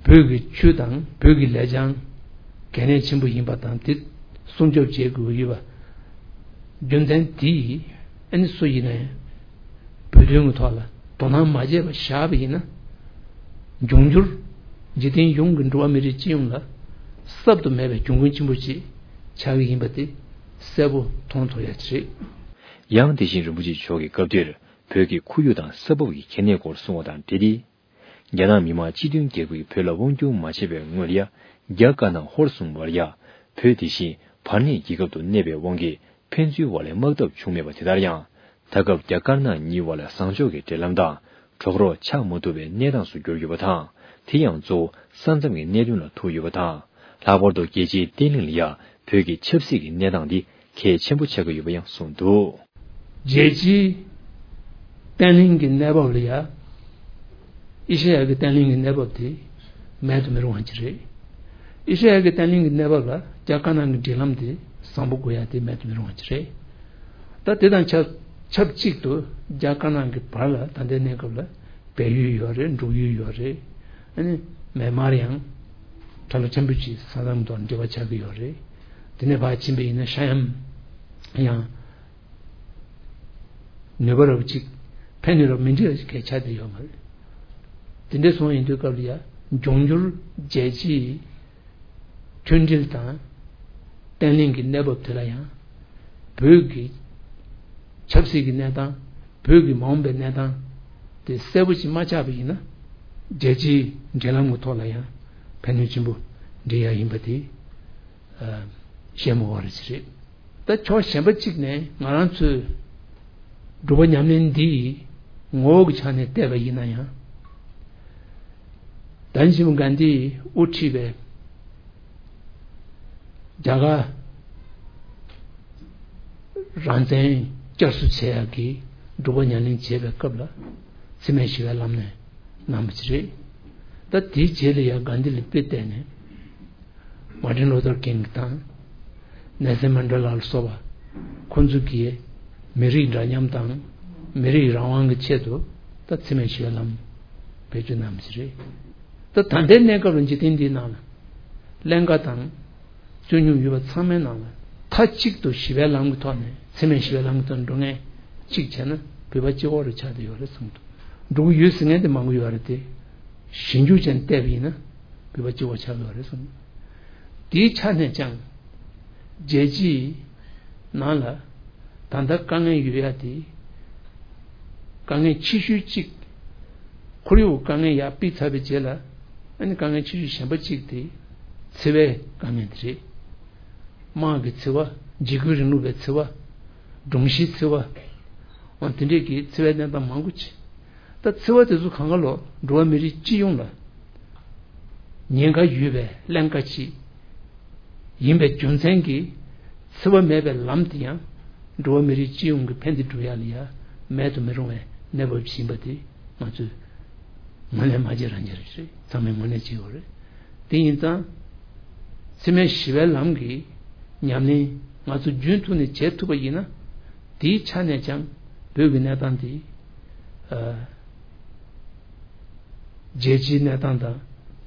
བོད་ཀྱི་ཆོས་དང་བོད་ཀྱི་ལེགས་བྱང་གལ་གནད་ཆེན་པོ་ཡིན་པ་དང་། དེ་སྲུང་སྐྱོབ་བྱེད་དགོས་ཀྱི་ཡོད་པ། རྒྱུ་མཚན་དེ་ཨ་ནི་སུ་ཡིན་ན་ཡང་བོད་དོན་གྱི་ཐོག་ལ་དོ་སྣང་མ་བྱས་པ་བཞག་པ་ཡིན་ན། འབྱུང་འགྱུར་འཇིག་རྟེན་གཞུང་གི་འགྲོ་བ་མི་རིགས་སྤྱི་ཡོངས་ལ་གསབ་ཏུ་མེད་པའི་གྱོང་གུན་ཆེན་པོ་ཞིག་ཆགས་ཀྱི་ཡིན་པ་དེ་གསལ་པོ་མཐོང་ཐུབ་ཡ་ཅིག་རེད། ཡང་དེ་བཞིན་རིན་པོ་ཆེ་མཆོག་གིས་སྐབས་དེར་བོད་ཀྱི་ཁོར་ཡུག་དང་ས་བབ་ཀྱི་གལ་གནད་སྐོར་གསུངས་པ་དང་འབྲེལ་ཏེ། རྒྱ་ནག་མི་དམངས་སྤྱི་མཐུན་རྒྱལ་ཁབ་ཀྱིས་བོད་ལ་དབང་སྒྱུར་མ་བྱས་པའི་སྔོན་ལ་ཡ། རྒྱ་དཀར་ནག་ཧོར་གསུམ་བར་ཡ། བོད་དེ་བཞིན་བར་གནས་རྒྱལ་ཁབ་ཏུ་གནས་པའི་དབང་གིས་ཕན་ཚུན་བར་ལ་དམག་འཐབ་བྱུང་མེད་པ། དེ་ལྟར་ཡང་། ད་སྐབས་རྒྱ་དཀར་ནག་གཉིས་བར་ལ་བཟང་ཕྱོགས་ཀྱི་འབྲེལ་ལམ་དང་གྲོགས་རོགས་ཆགས་མ་ཐུབ་པའི་གནས་སྟངས་སུ་གྱུར་ཡོད་པ་དང་། དེ་ཡང་གཙོ་བོ་ས་མཚམས་ཀྱི་གནད་དོན་ལ་ཐུག་ཡོད་པ་དང་། ལྷག་པར་དུ་རྒྱལ་སྤྱིའི་བརྟན་ལྷིང་ལ་ཡ་བོད་ཀྱི་ཆབ་སྲིད་ཀྱི་གནས་སྟངས་འདི་གལ་ཆེན་པོ་ཆགས་ཀྱི་ཡོད་པ་ཡང་གསུངས་འདུག། རྒྱལ་སྤྱིའི་བརྟན་ལྷིང་གི་གནས་བབ་ལ་ཡ། ཨེ་ཤེ་ཡ་གི་བརྟན་ལྷིང་གི་གནས་བབ་དེ་མེད་དུ་མི་རུང་བ་ཅིག་རེད། ཨེ་ཤེ་ཡ་གི་བརྟན་ལྷིང་གི་གནས་བབ་ལ་རྒྱ་དཀར་ནག་གི་འབྲེལ་ལམ་དེ་བཟང་པོ་དགོས་ཡ་དེ་མེད་དུ་མི་རུང་བ་ཅིག་རེད། ད་དེ་དང་ཆབས་ཆབས་ཅིག་ཏུ་རྒྱ་དཀར་ནག་གི་བར་ལ་ད་ལྟའི་གནས་སྐབས་ལ་སྦས་ཡུལ་ཡོད་རེད། འབྲུག་ཡུལ་ཡོད་རེད། ཨ་ནི་མེན་མར་ཡང་ཁྲ་ལོ་ཆེན་པོ་ཅིག་ས་མཚམས་དང་འབྲེལ་བ་ཆགས་ཀྱི་ཡོད་རེད། དེ་ནས་ཕར་ཕྱིན་པ་ཡིན་ན་ཤ་ཡམ་ཡང་། ནུས་པ་རབ་ཅིག་ཕན་ནུས་རབ་མི་འདྲ་བ་ཞིག་གལ་ཆགས་བསྡད་ཡོད་མ་རེད། དེ་འདྲ་སོང་ཡིན་དུས་སྐབས་ལ་ཡ་འབྱུང་འགྱུར་རྒྱལ་སྤྱིའི་མཐུན་སྒྲིལ་དང་བརྟན་ལྷིང་གི་གནས་བབ་དེ་ལ་ཡང་བོད་ཀྱི་ཆབ་སྲིད་ཀྱི་གནས་སྟངས། བོད་ཀྱི་མ་འོངས་པའི་གནས་སྟངས་དེ་གསལ་པོ་ཞིག་མ་ཆགས་པ་ཡིན་ན། རྒྱལ་སྤྱིའི་འབྲེལ་ལམ་གྱི་ཐོག་ལ་ཡང་ཕན་ནུས་ཆེན་པོ་འདྲེན་ཡ་ཡིན་པ་དེ་བཤད་མ་དགོས་པ་ཞིག་རེད། ད་ཕྱོགས་གཞན་པ་གཅིག་ནས་ང་རང་ཚོས་སྒྲུབ་པ་ཉམས་ལེན་འདི་ཡི་ངོ་བོ་གི་ཆ་ནས་བལྟས་པ་ཡིན་ན་ཡང་། ད་ནི་ཤི་མོ་གྷན་དྷིས་དབུ་ཁྲིད་པའི་རྒྱ་གར་རང་བཙན་བསྐྱར་གསོ་བྱེད་ཡག་གི་སྒྲུབ་པ་ཉམས་ལེན་བྱེད་པའི་སྐབས་ལ་འཚེ་མེད་ཞི་བའི་ལམ་ནས་གནང་བ་ཅིག་རེད། ད་དེའི་རྗེས་ལ་ཡང་གྷན་དྷི་ལ་དཔེ་བལྟས་ནས། མར་ཊིན་ལུ་ཐར་ཀིང་དང་། ནེལ་སན་མན་ཌེ་ལ་ལ་སོགས་པ། ཁོང་ཚོ་གིས་མི་རིགས་འདྲ་མཉམ་དང་། མི་རིགས་རང་དབང་གི་ཆེད་དུ་ད་འཚེ་མེད་ཞི་བའི་ལམ་བེད་སྤྱོད་གནང་བ་ཞིག་རེད། ད་ད་ལྟའི་གནས་སྐབས་ལ་འཇིག་རྟེན་འདིའི་ནང་ལ་ཀླན་ཀ་དང་། རྩོད་རྙོག་ཡོད་པ་ཚང་མའི་ནང་ལ་མཐའ་གཅིག་ཏུ་ཞི་བའི་ལམ་གྱི་ཐོག་ནས། འཚེ་མེད་ཞི་བའི་ལམ་གྱི་ཐོག་ནས་འགྲོ་མཁན་གཅིག་བྱས་ན་བོད་པ་གཅིག་པོ་རེ་ཆགས་བསྡད་ཡོད་རེད་བསམ་འདུག། འགྲོ་གི་ཡོད་ཟེར་མཁན་དེ་མང་པོ་ཡོད་རེད་དེ། ཞིབ་འཇུག་བྱས་ནས་བལྟས་པ་ཡིན་ན་བོད་པ་གཅིག་པོ་ཆགས་ཀྱི་ཡོད་རེད་བསམ་འདུག། དེའི་ཆ་ནས་ཀྱང་རྒྱལ་སྤྱིའི་ནང་ལ་ད་ལྟ་དཀའ་ངལ་ཡོད་ཡ་དེ། དཀའ་ངལ་ཆེ་ཤོས་གཅིག། ཁོར་ཡུག་དཀའ་ངལ་ཡར་ཕུད་ཚར་བའི་རྗེས་ལ། ཨ་ནི་དཀའ་ངལ་ཆེ་ཤོས་གཞན་པ་གཅིག་དེ་འཚེ་བའི་དཀའ་ངལ་དེ་རེད། དམག་གི་འཚེ་བ། འཇིགས་སྐུལ་རིང་ལུགས་པའི་འཚེ་བ། སྒྲོམ་གཞིའི་འཚེ་བ། འོ་དེ་འདྲས་ཀྱི་འཚེ་བའི་གནས་སྟངས་མང་པོ་ཅིག་ད་འཚེ་བ་དེ་ཚོ་གང་ག་ལོ་འགྲོ་བ་མི་རིགས་སྤྱི་ཡོངས་ལ་ཉེན་ཁ་ཡོད་པའི་ཀླན་ཀ་ཅིག་ཡིན་པའི་རྒྱུ་མཚན་གྱིས་འཚེ་བ་མེད་པའི་ལམ་དེ་ཡང་འགྲོ་བ་མི་རིགས་སྤྱི་ཡོངས་ཀྱི་ཕན་བདེ་སྒྲུབ་ཡ་ལ་ཡ་མེད་དུ་མི་རུང་བའི་གནས་བབ་ཅིག་ཡིན་པ་དེ་ང་ཚོས་ངོས་ལེན་མ་བྱེད་རང་བྱེད་རེད། ཚང་མས་ངོས་ལེན་བྱེད་དགོས་རེད། དེ་ཡིན་ཙང་འཚེ་མེད་ཞི་བའི་ལམ་གྱི་ཉམས་ལེན་ང་ཚོ་རྒྱུན་མཐུད་ནས་བྱེད་ཐུབ་པ་ཡིན་ན། དེའི་ཆ་ནས་ཀྱང་བོད་ཀྱི་གནས་སྟངས་དེ་ཨ་རྒྱལ་སྤྱིའི་གནས་སྟངས་དང་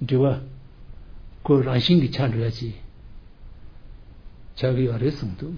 འབྲེལ་བ་ཁོ་རང་བཞིན་གྱིས་ཆགས་འགྲོ་ཡ་ཅིག་ཆགས་ཀྱི་ཡོད་རེད་བསམ་འདུག་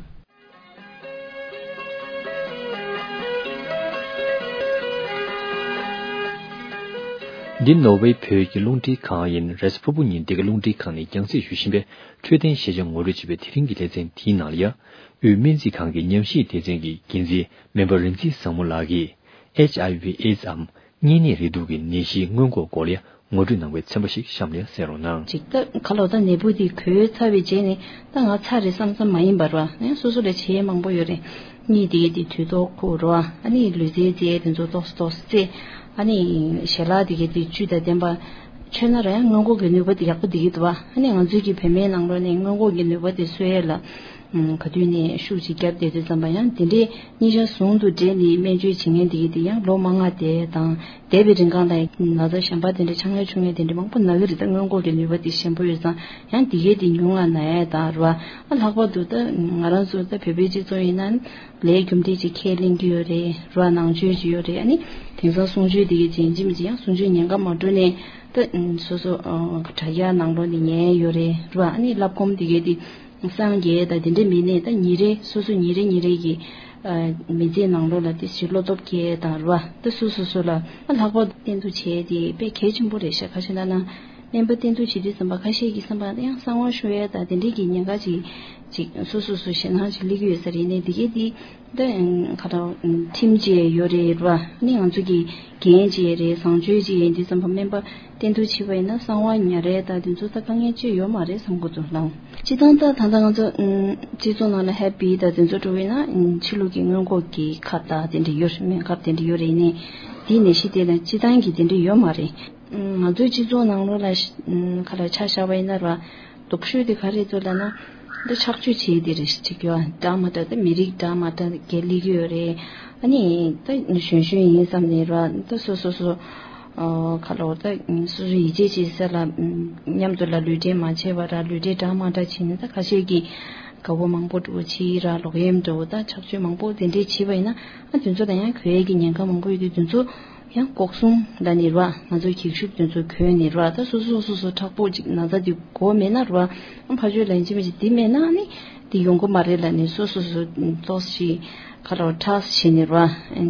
འདི་ནོར་ཝེ་བོད་ཀྱི་རླུང་འཕྲིན་ཁང་ཡིན། རེས་གཟའ་ཕུར་བུ་ཉིན་འདི་ག་རླུང་འཕྲིན་ཁང་ནས་རྒྱང་སྲིང་ཞུ་བཞིན་པའི་འཕྲོད་བསྟེན་ཤེས་བྱ་ངོ་སྤྲོད་བྱེད་པའི་དེ་རིང་གི་ལེ་ཚན་དེའི་ནང་ལ་ཡ། དབུས་སྨན་རྩིས་ཁང་གི་ཉམས་ཞིབ་སྡེ་ཚན་གྱི་འགན་འཛིན་སྨན་པ་རིག་འཛིན་བཟང་མོ་ལགས་ཀྱིས་ཨེཆ་ཨའི་ཝི་ཨེ་ཛི་འམ་གཉན་ནད་རེག་དུག་གི་ནད་གཞིའི་སྔོན་འགོག་སྐོར་ལ་ངོ་སྤྲོད་གནང་བའི་ཚན་པ་ཞིག་གཤམ་ལ་གསན་རོགས་གནང་། ཅིག་ད་ག་ལོ་ད་ནད་འབུ་དེ་འགོས་ཚར་བའི་རྗེས་ནས་ད་ང་ཚར་རེད་བསམ་བསམ་མ་ཡིན་པར་བ་ནས་སོ་སོ་ལ་བྱེད་ཡས་མང་པོ་ཡོད་རེད། གཉིད་དེ་གས་དེ་དུས་ཐོག་ཁུག་རོ། ཨ་ནི་ལུས་རྩལ་རྩེ་དེ་ཚོ་ཏོག་ཙམ་ཏོག་ཙམ་རྩེ། ཨ་ནི་ཞལ་ལག་དེ་གས་དེ་བཅུད་དང་ལྡན་པ་མཆོད་ན་ར་ཡང་སྔོན་འགོག་གི་ནུས་པ་དེ་ཡག་པོ་དེ་གས་འདུག་བ། ཨ་ནི་ང་ཚོའི་གི་བོད་སྨན་ནང་ལོགས་ནས་སྔོན་འགོག་གི་ནུས་པ་དེ་གསོ་ཡས་ལ། ཨུམ། ག་དུས་ནས་ཤུགས་ཅིག་བརྒྱབ་བསྡད་དུས་ཙམ་པ་ཡང་དེ་འདྲའི་གཉིས་ཆ་ཟུང་དུ་འབྲེལ་ནས་སྨན་བཅོས་བྱེད་མཁན་དེ་གས་དེ་ཡང་ལོ་མང་ང་བསྡད་དང་བསྡད་པའི་རིང་གང་ལ་ན་ཚ་གཞན་པ་དེ་འདྲ་ཆང་ངེ་ཆུང་ངེ་དེ་འདྲ་མང་པོ་ན་གི་རེད། ད་སྔོན་འགོག་གི་ནུས་པ་དེ་ཞན་པོ་ཡོད་ཙང་ཡང་དེ་གས་དེ་ཉུང་ང་ན་ཡས་དང་ར། ཨ་ལྷག་པར་དུ་ད་ང་རང་ཚོ་ད་བོད་པའི་སྤྱི་ཚོགས་ཡིན་ན་ལས་རྒྱུ་འབྲས་ཅིག་ཁས་ལེན་གྱི་ཡོད་རེད་ར། ནང་ཆོས་ཅིག་ཡོད་རེད། ཨ་ནི་དེང་སང་གསུང་ཆོས་དེ་གས་ཅིག་ཡིན་གཅིག་མིན་གཅིག་ཡང་གསུང་ཆོས་ཉན་ག་མ་འགྲོ་ནས་ད་སོ་སོ་དྲ་རྒྱ་ནང་ལོགས་ནས་ཉན་ཡོད་རེད་ར། ཨ་ནི་བསླབ་སྒོམ་དེ་གས་དེ། སངས་རྒྱས་དང་དེ་འདྲ་མིན་ནས་ད་ཉིན་རེ་སོ་སོ་ཉིན་རེ་ཉིན་རེ་གི་ཨ་མི་ཚེའི་ནང་ལོགས་ལ་དེ་ཞིག་བློ་སྟོབས་སྐྱེ་དང་ར། ད་སོ་སོ་སོ་ལ་ཨ་ལྷག་པར་དུ་བསྟེན་གཏུག་བྱས་དེ་དཔེ་གལ་ཆེན་པོ་རེད་ཤག་ཁ་ཤས་ན་ན་སྨན་པ་བསྟེན་གཏུག་བྱེད་དུས་ཙམ་པ་ཁ་ཤས་ཀྱི་བསམ་པ་ཡང་གསང་བ་ཤོར་ཡས་དང་དེ་འདྲའི་གི་ཉེན་ཁ་ཅིག་ཅིག་སོ་སོ་སོ་ཞེད་སྣང་ཅིག་སླེབས་ཀྱི་ཡོད་ས་རེད། ནས་དེ་གས་དེ། ད་ཁ་ད་ཁྲིམས་བཅས་ཡོད་རེད་ར། ནི་ང་ཚོ་གི་འགན་བཅས་རེད། བཟང་སྤྱོད་བཅས་ཡིན་དུས་ཙམ་པ་སྨན་པ་བསྟེན་གཏུག་བྱེད་པ་ཡིན་ན་གསང་བ་ཉར་རེད་ད་དེ་ཚོ་ད་དཀའ་ངལ་ཅི་ཡོད་མ་རེད་བསམ་གི་འདུག་ལགས། སྤྱི་བཏང་ད་ད་ལྟ་ང་ཚོ་སྤྱི་ཚོགས་ནང་ལ་ཧེ་པི་ད་དེ་ཚོ་འགྲོ་བས་ན་ཕྱི་ལུགས་ཀྱི་སྔོན་འགོག་གི་ཁབ་ད་དེ་འདྲ་ཡོད་རེད། སྨན་ཁབ་དེ་འདྲ་ཡོད་རེད། ནི་དེའི་ནད་གཞི་དེ་ལ་སྤྱི་བཏང་གི་དེ་འདྲ་ཡོད་མ་རེད། ང་ཚོའི་སྤྱི་ཚོགས་ནང་ལོགས་ལ་ཁ་ལ་ཆ་བཞག་པ་ཡིན་ན་ར། སྡུག་ཤོས་དེ་ག་རེ་ཚོ་ལབ་ན། འདི་ཆགས་སྤྱོད་བྱེད་དེ་རེད་ཅིག་ཡོད། འདྲ་མ་འདྲ་ད་མི་རིགས་འདྲ་མ་འདྲ་གས་ལི་གི་ཡོད་རེད། ཨ་ནི་ད་གཞོན་གཞོན་ཡིན་བསམ་ནས་ར་ད་སོ་སོ་སོ། ཁ་ལོ་ད་སོ་སོ་ཡིད་ཆེས་བྱེད་ས་ལ་མཉམ་དུ་ལ་ལུས་འབྲེལ་མ་བྱས་པ་ར་ལུས་འབྲེལ་འདྲ་མ་འདྲ་བྱས་ནས་ད་ཁ་ཤས་ཀྱིས་དགའ་བོ་མང་པོ་འགྲོ་བྱེད་ར་ལོག་གཡེམ་འགྲོ་ད་ཆགས་སྤྱོད་མང་པོ་དེ་འདྲས་བྱེད་པ་ཡིན་ན་ཨ་དེ་ཚོ་ལ་ཡང་གོད་ཡས་ཀྱི་ཉེན་ཁ་མང་པོ་ཡོད་དུས་དེ་ཚོ། ཡང་ལྐོག་སྲུང་ལ་ནི་ར་ང་ཚོའི་འགྱིག་ཤུབས་དེ་ཚོ་གོན་ནི་ར་ད་སོ་སོ་སོ་སོ་མཁྲེགས་པོ་ཅིག་ན་ཚ་དེ་གོ་མེད་ན་ར་ཨ་ཕ་ཆོས་ལན་ཅི་མ་ཅིག་དེ་མེད་ན་ནི་དེ་ཡོང་གི་མ་རེད་ལ་ནི་སོ་སོ་སོ་ཏོག་ཞིག་ཁ་ར་ཁྲག་བྱེད་ནི་ར་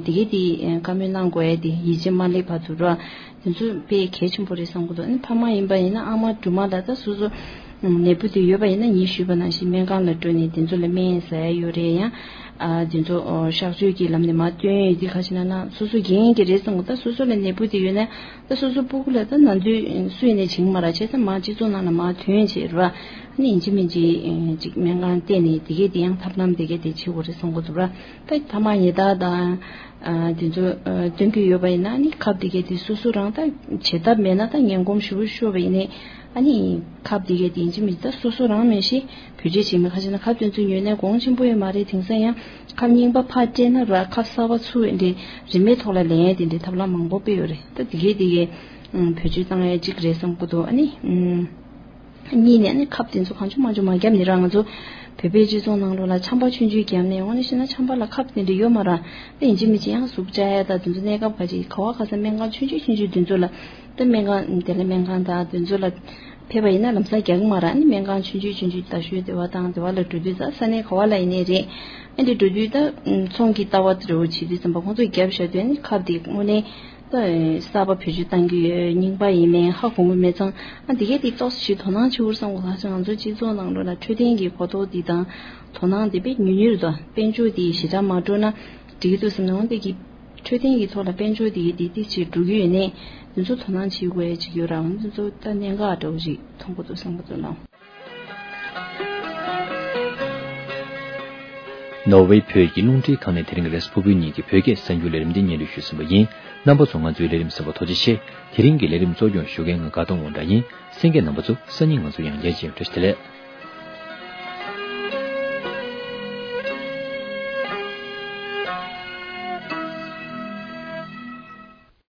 དེ་གི་དེ་བཀའ་མོལ་གནང་དགོས་ཡ་དེ་ཡིད་ཆེས་མ་སླེབས་བར་དུ་ར་དེ་ཚོ་དཔེ་གལ་ཆེན་པོ་རེད་བསམ་གི་འདུག་ཨ་ནི་ཕ་མ་ཡིན་པ་ཡིན་ན་ཨ་མ་སྦྲུམ་མ་ལ་ད་སོ་སོ། ནད་འབུ་དེ་ཡོད་པ་ཡིན་ན་ངས་ཞུས་པ་ནང་བཞིན་སྨན་ཁང་ལ་འགྲོ་ནས་དེ་ཚོ་ལ་སྨན་ཟ་ཡ་ཡོད་རེད། ཡང་ཨ་དེ་ཚོ་གཤག་བཅོས་ཀྱི་ལམ་ནས་མར་བཏོན་ཡོད་དེ་ཁ་ཤས་ན་ན་སོ་སོ་འགན་གྱི་རེད་བསམ་གི་ད་སོ་སོ་ལ་ནད་འབུ་དེ་ཡོད་ན་ད་སོ་སོ་སྤུ་གུ་ལ་ད་ན་ཚོད་སུ་ཡིན་ནས་བྱིང་མ་ར་བྱས་ཙང་མར་སྤྱི་ཚོགས་ནང་ལ་མར་ཐོན་བྱས་ར་ཨ་ནི་ཡིན་གཅིག་མིན་གཅིག་ཅིག་སྨན་ཁང་བལྟས་ནས་དེ་གས་དེ་ཡང་ཐབས་ལམ་དེ་གས་དེ་བྱེད་དགོས་རེད་བསམ་གི་འདུག་ར་ད་ཐ་མག་ཉལ་ཐག་དང་། དེ་ཚོ་སྟོན་གྱི་ཡོད་པ་ཡིན་ན་ནི་ཁབ་དེ་གས་དེ་སོ་སོ་རང་ད་བྱེད་ཐབས་མེད་ན་ད་ངན་གོམས་ཞེ་པོ་ཤོར་བ་ཡིན་ནའི་ཨ་ནི་ཁབ་དེ་གས་དེ་ཡིན་གཅིག་མིན་གཅིག་ད་སོ་སོ་རང་མེད་ཤི་བེད་སྤྱོད་བྱེད་མི་ཁ་ཤས་ན་ཁབ་དེ་ཚོ་ཉོས་ནས་གོང་ཆེན་པོ་ཡོད་མ་རེད། དེང་སང་ཡང་ཁབ་རྙིང་པ་ཕར་སྤྲད་ན་ར་ཁབ་གསར་པ་ཚུར་འདི་རིན་མེད་ཐོག་ལ་ལེན་ཡས་དེ་འདྲའི་ཐབས་ལམ་མང་པོ་སྤེལ་ཡོད་རེད། ད་དེ་གས་དེ་གས་བེད་སྤྱོད་བཏང་ཡས་གཅིག་རེད་བསམ་གི་འདུག་ཨ་ནི། གཉིས་ནས་ནི་ཁབ་དེ་ཚོ་གང་བྱུང་མང་བྱུང་མ་བརྒྱབ་ནི་ར་ང་ཚོ་བོད་པའི་སྤྱི་ཚོགས་ནང་ལོགས་ལ་ཆམ་པ་ཆུང་ཆུང་བརྒྱབ་ནས་འོང་ནི་ཤེས་ན་ཆམ་པ་ལ་ཁབ་དེ་འདྲ་ཡོད་མ་ར་ད་ཡིན་གཅིག་མིན་གཅིག་ཡང་ཟུག་བཅག་ཡ་ད་དེ་ཚོ་གནས་སྐབས་ཁ་ཅིག་ག་བ་ག་ས་སྨན་ཁང་ཆུང་ཆུང་ཆུང་ཆུང་དེ་ཚོ་ལ་ད་སྨན་ཁང་དེ་ལ་སྨན་ཁང་དང་དེ་ཚོ་ལ་ཕེབས་པ་ཡིན་ན་ལམ་སང་རྒྱག་གི་མ་ར་ནི་སྨན་ཁང་ཆུང་ཆུང་ཆུང་ཆུང་རྡ་ཤོད་དེ་བ་དང་དེ་བ་ལ་འགྲོ་དུས་ད་ས་གནས་ག་བ་ལ་ཡིན་ནའི་རེད་ཨ་འདི་འགྲོ་དུས་ད་ཚོང་གི་ལྟ་བ་དེ་འདྲ་བོ་བྱེད་དུས་ཙམ་པ་ཁོང་ཚོས་བརྒྱབ་བཞག་དུས་ནི་ཁབ་དེ་དངོས་གནས། ད་གསར་པ་བེད་སྤྱོད་གཏང་གི་ཡོད་རྙིང་པ་ཡིན་མིན་ཧ་གོ་གི་མེད་ཙང་ཨ་འདི་གས་དེ་ཏོག་ཙམ་ཞིག་དོ་སྣང་བྱེད་དགོས་བསམ་གི་ང་ཚོ་སྤྱི་ཚོགས་ནང་ལོགས་ལ་འཕྲོད་བསྟེན་གྱི་གོ་རྟོགས་འདི་དང་དོ་སྣང་འདི་དཔེ་ཉུང་ཉུང་རེད་དོ། དཔལ་འབྱོར་འདི་ཞེ་དྲག་མ་འགྲོ་ན་འགྲིག་གི་འདུག་བསམ་ནའང་འདི་གི་འཕྲོད་བསྟེན་གྱི་ཐོག་ལ་དཔལ་འབྱོར་འདི་གི་འདི་ཏིག་ཅིག་འགྲོ་གི་ཡོད་ནས་འདི་ཚོ་དོ་སྣང་བྱེད་དགོས་ཡ་ཅིག་ཡོད་ར་འདི་ཚོ་ད་གནད་འགག་འདྲ་བོ་ཞིག་མཐོང་གི་འདུག་བསམ་གི་འདུག་ལགས། ནོར་ཝེ་བོད་ཀྱི་རླུང་འཕྲིན་ཁང་ནས་དེ་རིང་རེས་ཕུར་བུ་གཉིས་ཀྱི་བོད་སྐད་གསར་འགྱུར་ལས་རིམ་འདི་སྙན་སྒྲོན་ཞུས་ཟིན་པ་ཡིན། རྣམ་པ་ཚོ་ང་ཚོའི་ལས་རིམ་གསན་པར་ཐུགས་རྗེ་ཆེ། དེ་རིང་གི་ལས་རིམ་གཙོ་སྐྱོང་ཞུ་མཁན་ང་དགའ་གཏོང་དབང་གྲགས་ཡིན། གསན་མཁན་རྣམ་པ་ཚོ་སང་ཉིན་ང་ཚོ་ཡང་བསྐྱར་མཇལ་ཡོང་། བཀྲ་ཤིས་བདེ་ལེགས།